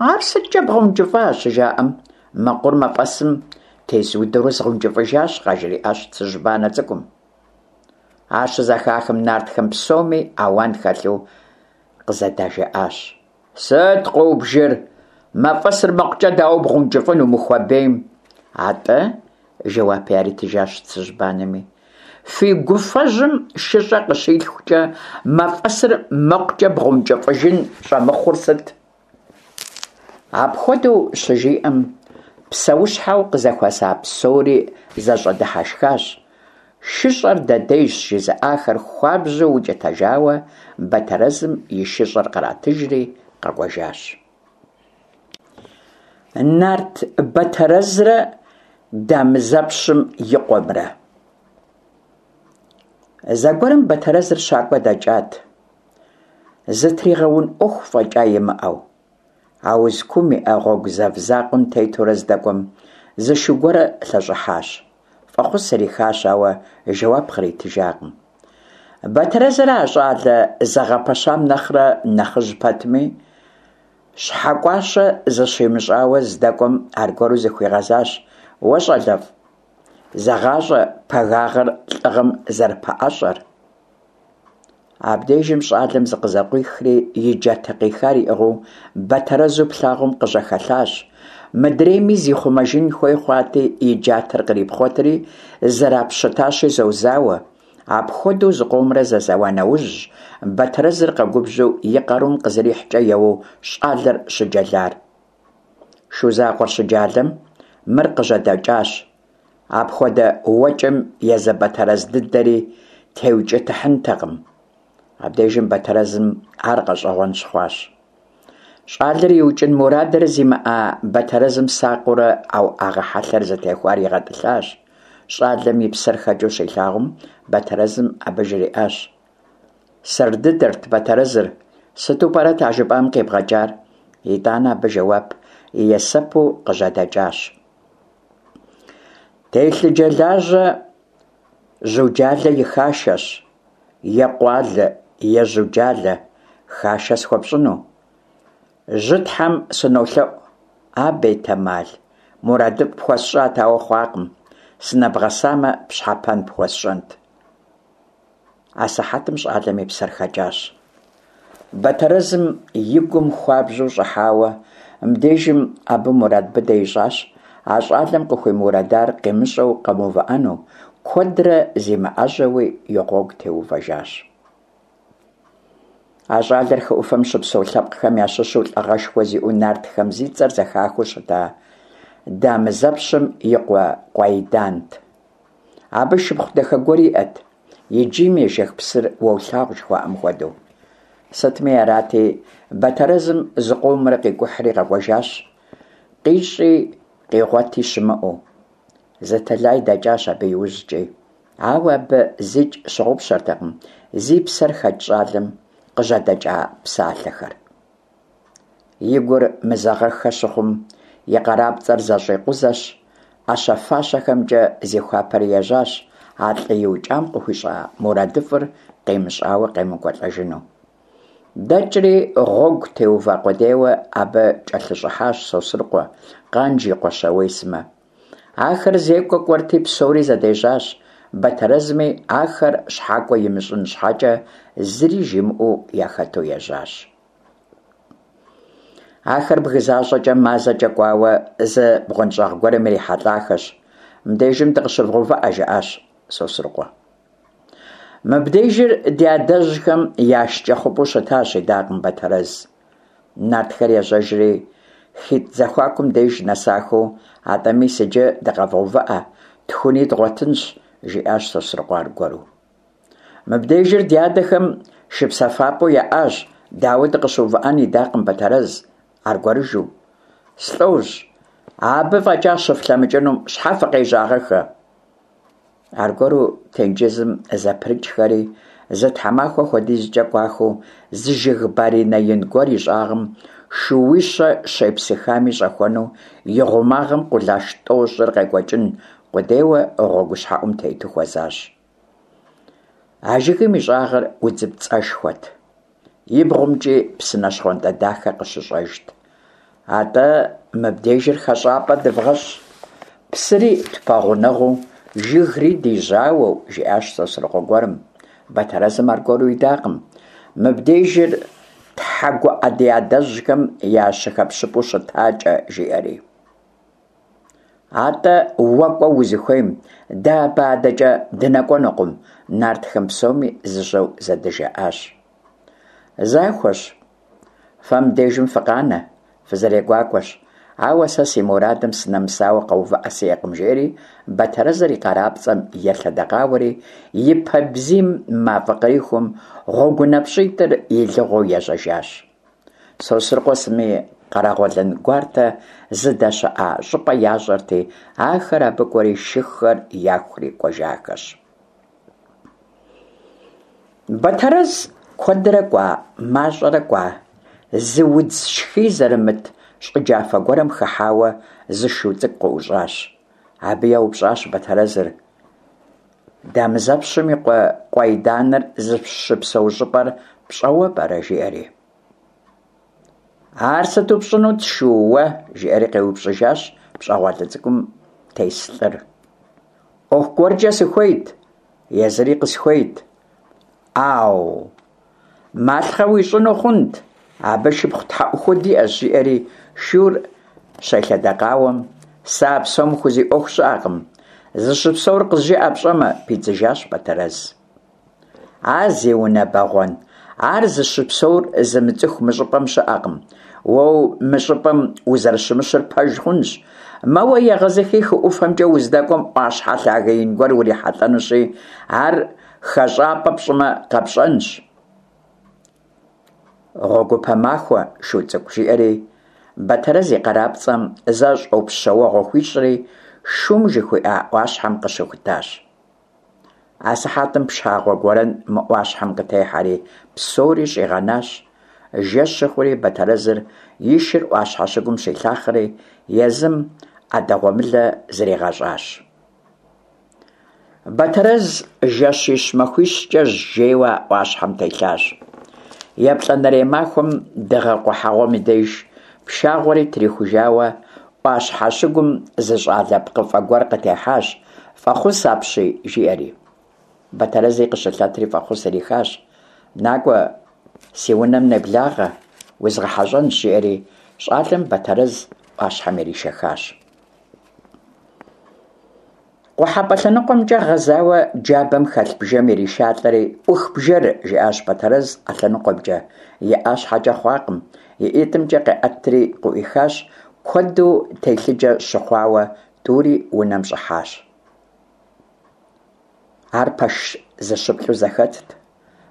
Ар сыткӀэ бгъэункӀыфӀа? щыжаӀэм, мэкъур мафӀэсым тезудэурэ згъэункӀыфӀыжащ, къажриӀащ цыжьбанэ цӀыкӀум. Ар щызэхахым, нартхэм псоми ауан хэлъу къызэдажаӀащ. Сыт къыубжыр? МафӀэсыр мэкъукӀэ дауэ бгъэункӀыфӀыну мы хуабейм? АтӀэ, жэуап яритыжащ цыжьбанэми, фи гуфэжьым шыщӀэ къыщилъхукӀэ, мафӀэсыр мэкъукӀэ бгъэункӀыфӀыжын щӀэмыхъур сыт? Апхуэдэу щыжиӀэм, псэущхьэу къызэхуэса псори зэщӀэдыхьэшхащ. ШыщӀэр дыдейщ жызыӀахэр хуабжьу укӀытэжауэ, Бэтэрэзым и шыщӀэр къратыжри къэкӀуэжащ. Нарт Бэтэрэзрэ Дамызэпщым и къуэмрэ. Зэгуэрым Бэтэрэзыр щакӀуэ дэкӀат, зытригъэун Ӏуэху фӀэкӀа имыӀэу. Ауз куум иӀэ гъуэгу зэв закъуэм тетурэ здэкӀуэм, зы шу гуэр лъэщӀыхьащ. ФӀэхъус ирихащ, ауэ жэуап къритыжакъым. Бэтэрэзыр а щӀалэ зэгъэпэщам нэхърэ нэхъыжь пэтми, щхьэкӀуащэ зыщимыщӀауэ здэкӀуэм аргуэру зыхуигъэзащ: «Уэ щӀалэфӀ, зэгъащӀэ пагагъэр лӀыгъэм зэрыпэӀэщӀэр». Абдежым щӀалэм зыкъызэкъуихри, и джатэ къихар иӀыгъыу Бэтэрэзу плъагъум къыжьэхэлъащ. Мыдрейми зихъумэжын хуей хъуати, и джатэр кърипхъуэтри, зэрапщытащи зозауэ. Апхуэдэу зыкъомрэ зэзэуа нэужьщ, Бэтэрэзыр къэгубжьу и къарум къызэрихькӀэ еуэу щӀалэр щыджэлар. Шу закъуэр щыджалэм, мыр къыжьэдэкӀащ. Апхуэдэ уэкӀэм езы Бэтэрэз дыдэри теукӀытыхьынтэкъым. Абдежым Бэтэрэзым ар гъэщӀэгъуэн щыхъуащ. ЩӀалэр иукӀын мурадыр зимыӀа Бэтэрэзым сакъыурэ а уӀэгъэ хьэлъэр зытехуар игъэтӀылъащ. ЩӀалэм и псэр хэкӀыу щилъагъум, Бэтэрэзым абы жриӀащ: «Сэр дыдэрт Бэтэрэзыр, сыту пӀэрэт а жыпӀам къибгъэкӀар?» ИтӀанэ абы жэуап есэпу къыжьэдэкӀащ. Телъыджэлажьэ Жьуджалэ и хашэщ, е къуалэ, е жьуджалэ, хашэ схуэпщӀыну. Жьытхьэм сынолъэӀу, а бетэмал, мурадыфӀ пхуэсщӀат, ауэ хъуакъым, сынэбгъэсамэ, пщхьэпэн пхуэсщӀэнт. Асыхьэтым щӀалэм и псэр хэкӀащ. Бэтэрэзым и гум хуабжьу щӀыхьауэ, мыбдежым абы мурад быдэ ищӀащ а щӀалэм къыхуимурадар къимыщӀэу къэмыувыӀэну, куэдрэ зимыӀэжьэуи и гъуэгу теувэжащ. А щӀалэр хы Ӏуфэм щыпсэу лъэпкъхэм ящыщу лӀыгъэшхуэ зиӀэу нартхэм зи цӀэр зэхахыу щыта Дамызэпщым и къуэ Къуайдант. Абы шыпхъу дахэ гуэр иӀэт, и джийм ежэх псыр уолъагъу жыхуаӀэм хуэдэу. Сытми арати, Бэтэрэзым зыкъомрэ къикӀухьри къэкӀуэжащ, къищӀи къигъуэти щымыӀэу. Зы тэлай дэкӀащ абы иужькӀи, ауэ абы зикӀ щыгъупщэртэкъым зи псэр хэкӀ щӀалэм къыжьэдэкӀа псалъэхэр. И гур мызэгъэххэ щыхъум, и къарапцӏэр зэщӏикъузэщ, ӏэщэ-фащэхэмкӏэ зихуапэри ежьащ, а лӏы иукӏам къыхуищӏа мурадыфӏыр къимыщӏауэ къемыкӏуэлӏэжыну. Дэкӏри гъуэгу теува къудейуэ абы кӏэлъыщӏыхьащ Сосрыкъуэ, Къанж и къуэ Щауей сымэ. Ахэр зекӏуэ кӏуэрти псори зэдежьащ. Бэтэрэзми ахэр щхьэкӏуэ имыщӏын щхьэкӏэ зыри жимыӏэу яхэту ежьащ. Ахэр бгы защӏэкӏэ мазэкӏэ кӏуауэ зы бгъуэнщӏагъ гуэрым ирихьэлӏахэщ. «Мыбдежым дыкъыщывгъэувыӏэ», жиӏащ Сосрыкъуэ. «Мыбдежыр ди адэжьхэм я шкӏэ хъупӏэу щытащ», идакъым Бэтэрэз. Нартхэр ежьэжри хитӏ зэхуакум деж нэсахэу, «Атӏэ мис иджы дыкъэвгъэувыӏэ, тхуни дгъуэтынщ», жиӏащ Сосрыкъуэ аргуэру. «Мыбдежыр ди адэхэм шыпсэфапӏэу яӏащ, дауэ дыкъыщыувыӏэн?» идакъым Бэтэрэз аргуэрыжу. «Слӏожь, абы фӏэкӏа щыфлъэмыкӏынум щхьэ фыкъежьагъэххэ?» Аргуэру тенджызым зэпрыкӏхэри, зы тхьэмахуэ хуэдизкӏэ кӏуахэу, зы жыг баринэ ин гуэр и щӏагъым шууищэ щепсыхами щӏэхуэну, и гъумагъым къулаш тӏощӏыр къекӏуэкӏын къудейуэ гъуэгущхьэӏум тету хуэзащ. А жыгым и щӏагъыр удзыпцӏэшхуэт, и бгъумкӏи псынэ щхъуантӏэ дахэ къыщыщӏэжт. «Атӏэ мыбдежыр хэщӏапӏэ дывгъэщӏ, псыри тпэгъунэгъуу, жыгри ди жьауэу», жиӏащ Сосрыкъуэ гуэрым. Бэтэрэзым аргуэру идакъым: «Мыбдежыр тхьэгуӏэ ди адэжьхэм я щыхэпщыпӏэу щытакӏэ», жиӏэри. «Атӏэ уэ кӏуэ узыхуейм, дэ абы адэкӏэ дынэкӏуэнукъым», нартхэм псоми зыжьэу зэдыжаӏащ. «Захуэщ, фэ мыбдежым фыкъанэ, фызэрегуакӏуэщ, ауэ сэ си мурадым сынэмысауэ къэувыӏэ сиӏэкъым», жиӏэри Бэтэрэзыр и къарапцӏэм елъэдэкъауэри, и пэ бзийм мафӏэ кърихум гъуэгунапщӏитӏыр илыгъуэу ежьэжащ. Сосрыкъуэ сыми Къэрэгъуэлэн гуартэ зыдэщыӏа щӏыпӏэ ящӏэрти, ахэр абы кӏуэри шыхэр яхури кӏуэжахэщ. Бэтэрэз куэдрэ кӏуа, мащӏэрэ кӏуа, зы удз шхий зэрымыт щӏы джафэ гуэрым хыхьауэ зы шу цӏыкӏу къыӏущӏащ. Абы еупщӏащ Бэтэрэзыр: «Дамызэпщым и къуэ Къуайданыр зыщыпсэу щӏыпӏэр пщӏэуэ пӏэрэ?» жиӏэри. «Ар сыту пщӏынут, шу, уэ?» жиӏэри къеупщӏыжащ пщӏэгъуалэ цӏыкӏум тес лӏыр. «ӏуэху гуэркӏэ сыхуейт, езыри къысхуейт». «Ау, малъхъэ уищӏыну хъунт, абы шыпхъу тхьэӏухуд иӏэщ», жиӏэри шур щелъэдэкъауэм, «Сэ а псом хузиӏуэху щыӏэкъым, зыщыпсэур къызжыӏэ пщӏэмэ», пидзыжащ Бэтэрэз. «А зи унэ бэгъуэн, ар зыщыпсэур зымыцӏыху мы щӏыпӏэм щыӏэкъым. Уэ мы щӏыпӏэм узэрыщымыщыр пэж хъунщ. Мэуэ егъэзыхи хы ӏуфэмкӏэ уздэкӏуэм ӏуащхьэ лъагэ ин гуэр урихьэлӏэнущи, ар хэщӏапӏэ пщӏымэ къэпщӏэнщ». «Гъуэгупэ махуэ, шу цӏыкӏу», жиӏэри Бэтэрэз и къарапцӏэм зэ щӏопщэуэгъуэ хуищӏри, шум жыхуиӏа ӏуащхьэм къыщыхутащ. Асыхьэтым пшагъуэ гуэрэн мы ӏуащхьэм къытехьэри, псори щӏигъэнащ. Жэщ щыхъури Бэтэрэзыр и шыр ӏуащхьэ щыгум щилъахъэри, езым ӏэдэгъуэмылэ зригъэщӏащ. Бэтэрэз жэщищ-махуищкӏэ жейуэ а ӏуащхьэм телъащ. Еплӏанэрей махуэм дыгъэ къухьэгъуэм и деж пшагъуэри трихужауэ ӏуащхьэ щыгум зы щӏалэ пкъыфӏэ гуэр къытехьащ, «Фӏэхъус апщий», жиӏэри. Бэтэрэзи къыщылъэтри фӏэхъус ирихащ. «Накӏуэ, си унэм неблагъэ, узгъэхьэщӏэнщ», жиӏэри щӏалэм Бэтэрэз ӏуащхьэм иришэхащ. Къухьэпӏэ лъэныкъуэмкӏэ гъэзауэ джабэм хэлъ бжэм иришалӏэри, «Ӏух бжэр», жиӏащ Бэтэрэз а лъэныкъуэмкӏэ. Иӏа щхьэкӏэ хъуакъым, и ӏитӏымкӏэ къеӏэтри къыӏуихащ, куэду телъыджэ щыхъуауэ тӏури унэм щӏыхьащ. Ар пэш зыщыплӏу зэхэтт.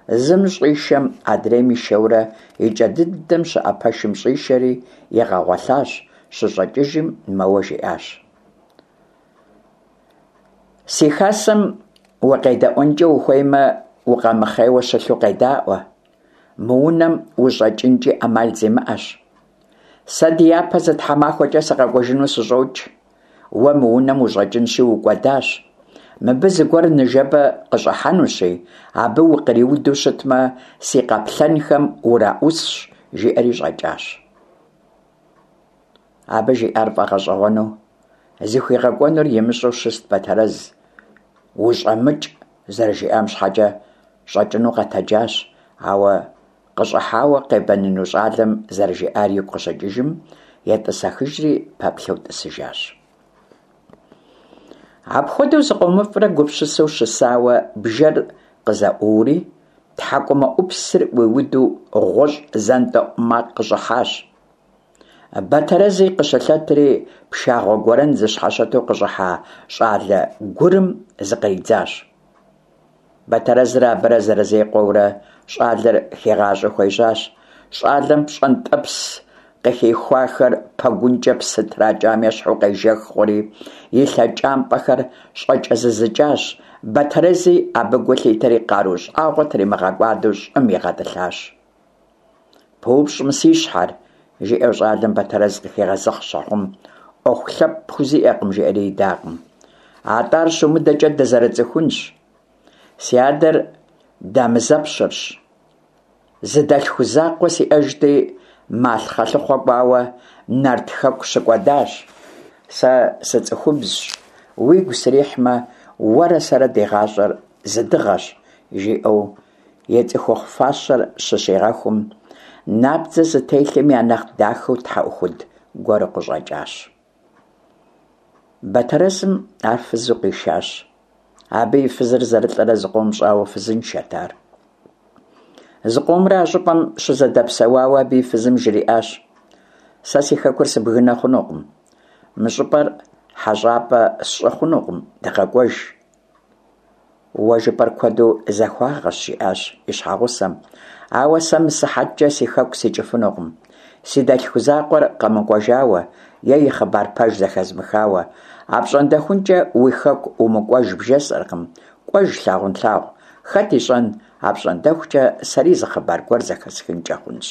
Зым щӏишэм адрейм ишэурэ и кӏэ дыдэм щыӏэ пэшым щӏишэри игъэгъуэлъащ, щыщӏэкӏыжым мэуэ жиӏащ: «Си хасэм укъедэӏуэнкӏэ ухуеймэ, укъэмыхъейуэ щылъу къедаӏуэ. Мы унэм ущӏэкӏынкӏи ӏэмал зимыӏэщ. Сэ ди япэ зы тхьэмахуэкӏэ сыкъэкӏуэжыну сыщӏокӏ. Уэ мы унэм ущӏэкӏынщи укӏуэдащ. Мыбы зыгуэр ныжэбэ къыщӏыхьэнущи, абы укъриуду щытмэ, си къаплъэнхэм ураӏусщ, жиӏэри щӏэкӏащ. Абы жиӏар фӏэгъэщӏэгъуэну, зыхуигъэкӏуэнур имыщӏэу щыст Бэтэрэз. УщӀэмыкӀ зэрыжиӏам щхьэкӏэ щӏэкӏыну къэтэджащ, ауэ къыщӏыхьауэ къебэныну щӏалэм зэрыжиӏар игу къыщыкӏыжым, етӏысэхыжри пэплъэу тӏысыжащ. Апхуэдэу зыкъомыфӏрэ гупсысэу щысауэ, бжэр къызэӏуори, тхьэкӏумэӏупсыр ӏуиуду гъущӏ зэнтӏэӏу макъ къыщӏыхьащ. Бэтэрэзи къыщылъэтри, пшагъуэ гуэрэн зыщхьэщыту къыщӏыхьа щӏалэ гурым зыкъридзащ. Бэтэрэзрэ абырэ зэрызекъуэурэ щӏалэр хигъащӏэу хуежьащ. Щӏалэм пщӏэнтӏэпс къыхихуахэр пэгункӏэ псы тракӏам ещхьу къежэх хъури, и лъэкӏампӏэхэр щӏэкӏэзызыкӏащ. Бэтэрэзи абы гу лъитэри къару щӏагъуэ тримыгъэкӏуадэу щӏым игъэтӏылъащ. Пыупщӏ мы си щхьэр, жиӏэу щӏалэм Бэтэрэз къыхигъэзыхь щыхъум, ӏуэху лъэпкъ пхузиӏэкъым, жиӏэри идакъым. Атӏэ ар щумыдэкӏэ дызэрыцӏыхунщ. Си адэр Дамызэпщырщ. Зы дэлъху закъуэ сиӏэжти, малъхъэ лъыхъуэ кӏуауэ Нарт хэку щыкӏуэдащ. Сэ сыцӏыхубзщ, уигу срихьмэ, уэрэ сэрэ ди гъащӏэр зы дыгъэщ, жиӏэу и цӏыхухъу фащэр щыщигъэхум, набдзэ зытелъым я нэхъ дахэу тхьэӏухуд гуэру къыщӏэкӏащ. Бэтэрэзым ар фызу къишащ. Абы и фызыр зэрылӏэрэ зыкъом щӏауэ фызыншэт ар. Зыкъомрэ а щӏыпӏэм щызэдэпсэуауэ абы и фызым жриӏащ: Сэ си хэкур сыбгынэ хъунукъым, мы щӏыпӏэр хьэщӏапӏэ сщӏы хъунукъым, дыгъэкӏуэж. Уэ жыпӏэр куэду захуагъэщ, жиӏащ и щхьэгъусэм, ауэ сэ мы сыхьэткӏэ си хэку сикӏыфынукъым. Си дэлъху закъуэр къэмыкӏуэжауэ е и хъыбар пэж зэхэзмыхауэ, апщӏондэхункӏэ уи хэку умыкӏуэж бжесӏэркъым, кӏуэж лъагъунлъагъу, хэт ищӏэн, апщӏондэхукӏэ сэри зы хъыбар гуэр зэхэсхынкӏэ хъунщ.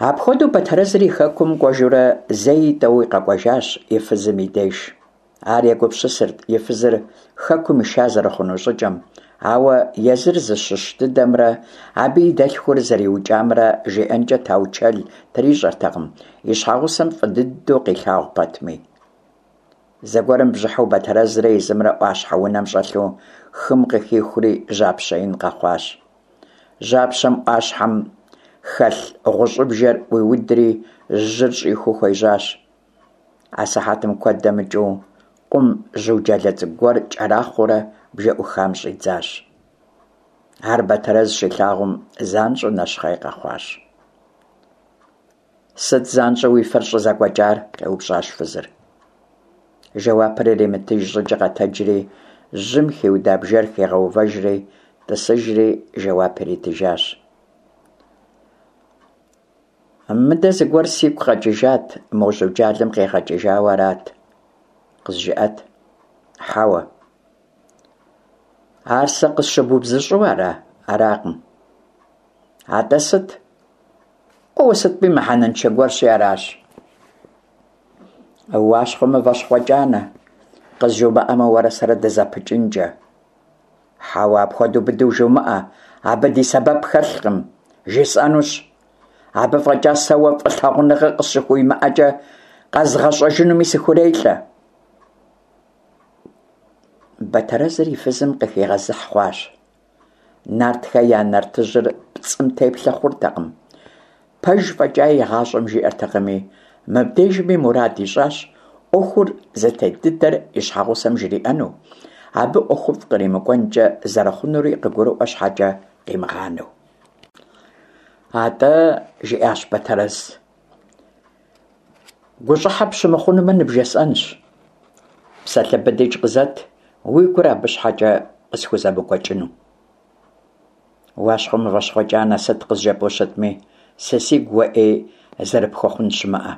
Апхуэдэу Бэтэрэзыр и хэкум кӏуэжурэ зэи тӏэуи къэкӏуэжащ и фызым и деж. Ар егупсысырт и фызыр хэкум иша зэрыхъуну щӏыкӏэм, ауэ езыр зыщыщ дыдэмрэ абы и дэлъхур зэриукӏамрэ жиӏэнкӏэ таучэл трищӏэртэкъым, и щхьэгъусэм фӏы дыдэу къилъагъу пэтми. Зэгуэрым бжьыхьэу Бэтэрэзрэ езымрэ ӏуащхьэ унэм щӏэлъу хым къыхихури жьапщэ ин къэхъуащ. Жьапщэм ӏуащхьэм хэлъ гъущӏыбжэр ӏуиудри жьыр щӏихуу хуежьащ. Асыхьэтым куэд дэмыкӏыу къум жьуджалэ цӏыкӏу гуэр кӏэрахъуэурэ бжэ ӏухам щӏидзащ. Ар Бэтэрэз щилъагъум занщӏэу нэщхъей къэхъуащ. Сыт занщӏэу уи фэр щӏызэкӏуэкӏар? къеупщӏащ фызыр. Жэуапыр иримытыж щӏыкӏэ къэтэджри, жьым хиуда бжэр хигъэувэжри, тӏысыжри жэуап иритыжащ. Мыдэ зыгуэр сигу къэкӏыжат, мо жьуджалэм къигъэкӏыжауэ арат. Къызжыӏэт. Хьэуэ. Ар сэ къысщыбубзыщӏу ара? Аракъым. Атӏэ сыт? О, сытми мыхьэнэншэ гуэрщи аращ. Уащхъуэ мыващхъуэ кӏанэ, къызжумыӏэмэ, уэрэ сэрэ дызэпыкӏынкӏэ. Хьэуэ, апхуэдэу быдэу жумыӏэ, абы ди сэбэп хэлъкъым, жесӏэнущ. Абы фӏэкӏа сэ уэ фӏылъагъуныгъэ къысщыхуимыӏэкӏэ къэзгъэщӏэжынуми сыхурелӏэ. Бэтэрэзыр и фызым къыхигъэзыхь хъуащ. Нартхэ я нартыжьыр пцӏым теплъэ хъуртэкъым. Пэж фӏэкӏа и гъащӏэм жиӏэртэкъыми, мыбдежми мурад ищӏащ ӏуэхур зытет дыдэр и щхьэгъусэм жриӏэну, абы ӏуэхуфӏ къримыкӏуэнкӏэ зэрыхъунури къыгурыӏуэ щхьэкӏэ къимыгъанэу. Атӏэ, жиӏащ Бэтэрэз, гущӏыхьэ пщымыхъунумэ ныбжесӏэнщ. Псалъэ быдикӏ къызэт, уи гур абы щхьэкӏэ къысхузэмыкӏуэкӏыну. Уащхъуэ мыващхъуэ кӏанэ, сыт къызжепӏэу щытми, сэ сигу уэ ӏей зэрыпхуэхъун щымыӏэ.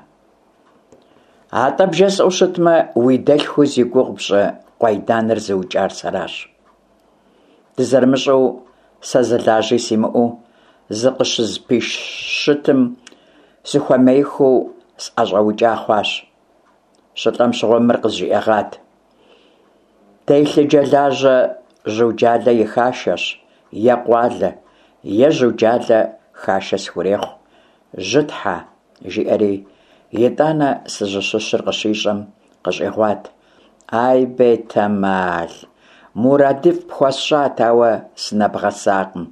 Атӏэ бжесӏэу щытмэ, уи дэлъхуу зи гугъу пщӏы Къуайданыр зыукӏар сэращ. Дызэрымыщӏэу сэ зы лажьи симыӏэу, зыкъыщызпищытым, сыхуэмеиххэу сӀэщӀэукӀа хъуащ. ЩылӀэм щыгъуэ мыр къызжиӀэгъат: «Телъыджэлажьэ Жьуджалэ и хашэщ, е къуалэ, е Жьуджалэ хашэ схурехъу, жьытхьэ!» жиӀэри, итӀанэ сызыщыщыр къыщищӀэм, къыщӀигъуат: «Ай, бетэмал, мурадыфӀ пхуэсщӀат, ауэ сынэбгъэсакъым».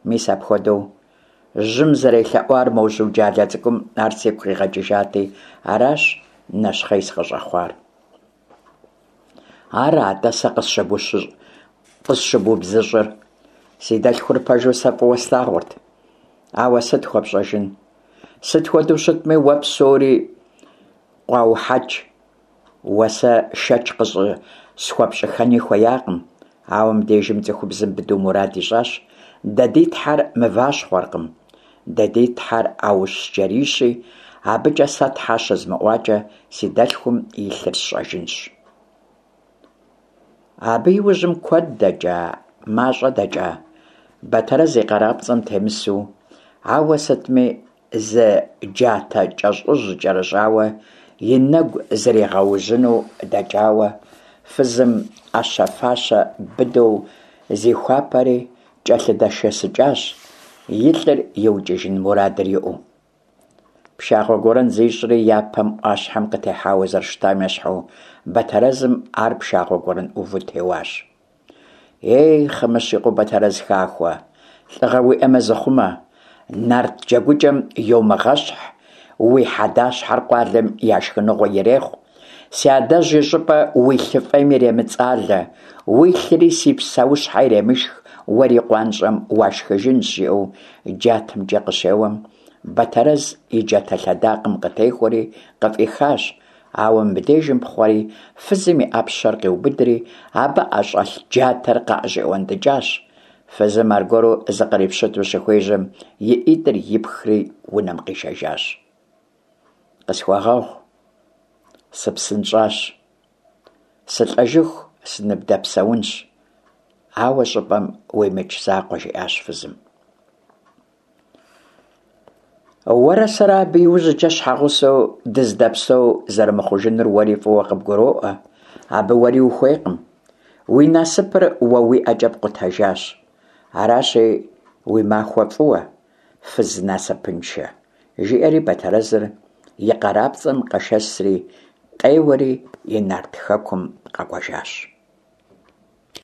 Мис апхуэдэу жьым зэрелъэӀуар мо Жьуджалэ цӀыкӀум ар сигу къигъэкӀыжати, аращ нэщхъей сыкъыщӀэхъуар. Ара атӀэ сэ къысщыбубзыщӀыр? Си дэлъхур пэжу сэ фӀыуэ слъагъурт, ауэ сыт хуэпщӀэжын? Сыт хуэдэу щытми, уэ псори къуаухьэкӀ. Уэ сэ шэч къыщӀысхуэпщӀыххэни хуеякъым. Ауэ мыбдежым цӀыхубзым быдэу мурад ищӀащ: дэ ди тхьэр мыващхъуэркъым, дэ ди тхьэр Аущджэрийщи, абыкӀэ сэ тхьэ щызмыӀуакӀэ, си дэлъхум и лъыр сщӀэжынщ. Абы и ужьым куэд дэкӀа, мащӀэ дэкӀа, Бэтэрэз и къарапцӀэм темысу, ауэ сытми зы джатэ кӀэщӀыжь кӀэрыщӀауэ и нэгу зригъэужьыну дэкӀауэ, фызым Ӏэщэ-фащэ быдэу зихуапэри кӀэлъыдэшэсыкӀащ, и лӀыр иукӀыжын мурадыр иӀэу. Пшагъуэ гуэрэн зищӀри, япэм Ӏуащхьэм къытехьауэ зэрыщытам ещхьу, Бэтэрэзым ар пшагъуэ гуэрэн Ӏуву теуащ. Ей, Хъымыщ и къуэу Бэтэрэз хахуэ, лӀыгъэ уиӀэмэ, зыхъумэ, нарт джэгукӀэм йомыгъэщхь, уи хьэдащхьэр къуалэм я шхыныгъуэ ирехъу, си адэжь и щӀыпӀэ уи лъы фӀейм иремыцӀалэ, уилъри си псэущхьэ иремышх, уэри къуанщӀэм уашхыжынщ, жиӀэу джатэмкӀэ къыщеуэм, Бэтэрэз и джатэ лъэдакъэм къытехуэри къыфӀихащ, ауэ мыбдежым пхъуэри фызым и Ӏэпщэр къиубыдри, абы ӀэщӀэлъ джатэр къыӀэщӀиӀуэнтӀыкӀащ. Фызым аргуэру зыкърипщыту щыхуежьэм, и ӀитӀыр ипхри унэм къишэжащ. Къысхуэгъэгъу, сыпсынщӀащ, сылӀэжыху сыныбдэпсэунщ, ауэ щӀыпӀэм уимыкӀ закъуэ, жиӀащ фызым. Уэрэ сэрэ абы иужькӀэ щхьэгъусэу дыздэпсэу зэрымыхъужынур уэри фӀыуэ къыбгуроӀуэ, абы уэри ухуейкъым. Уи насыпыр уэ уи ӀэкӀэ пкъутэжащ. Аращи, уи махуэ фӀыуэ, фыз насыпыншэ, жиӀэри Бэтэрэзыр и къарапцӀэм къэшэсри, къеуэри и нарт хэкум къэкӀуэжащ.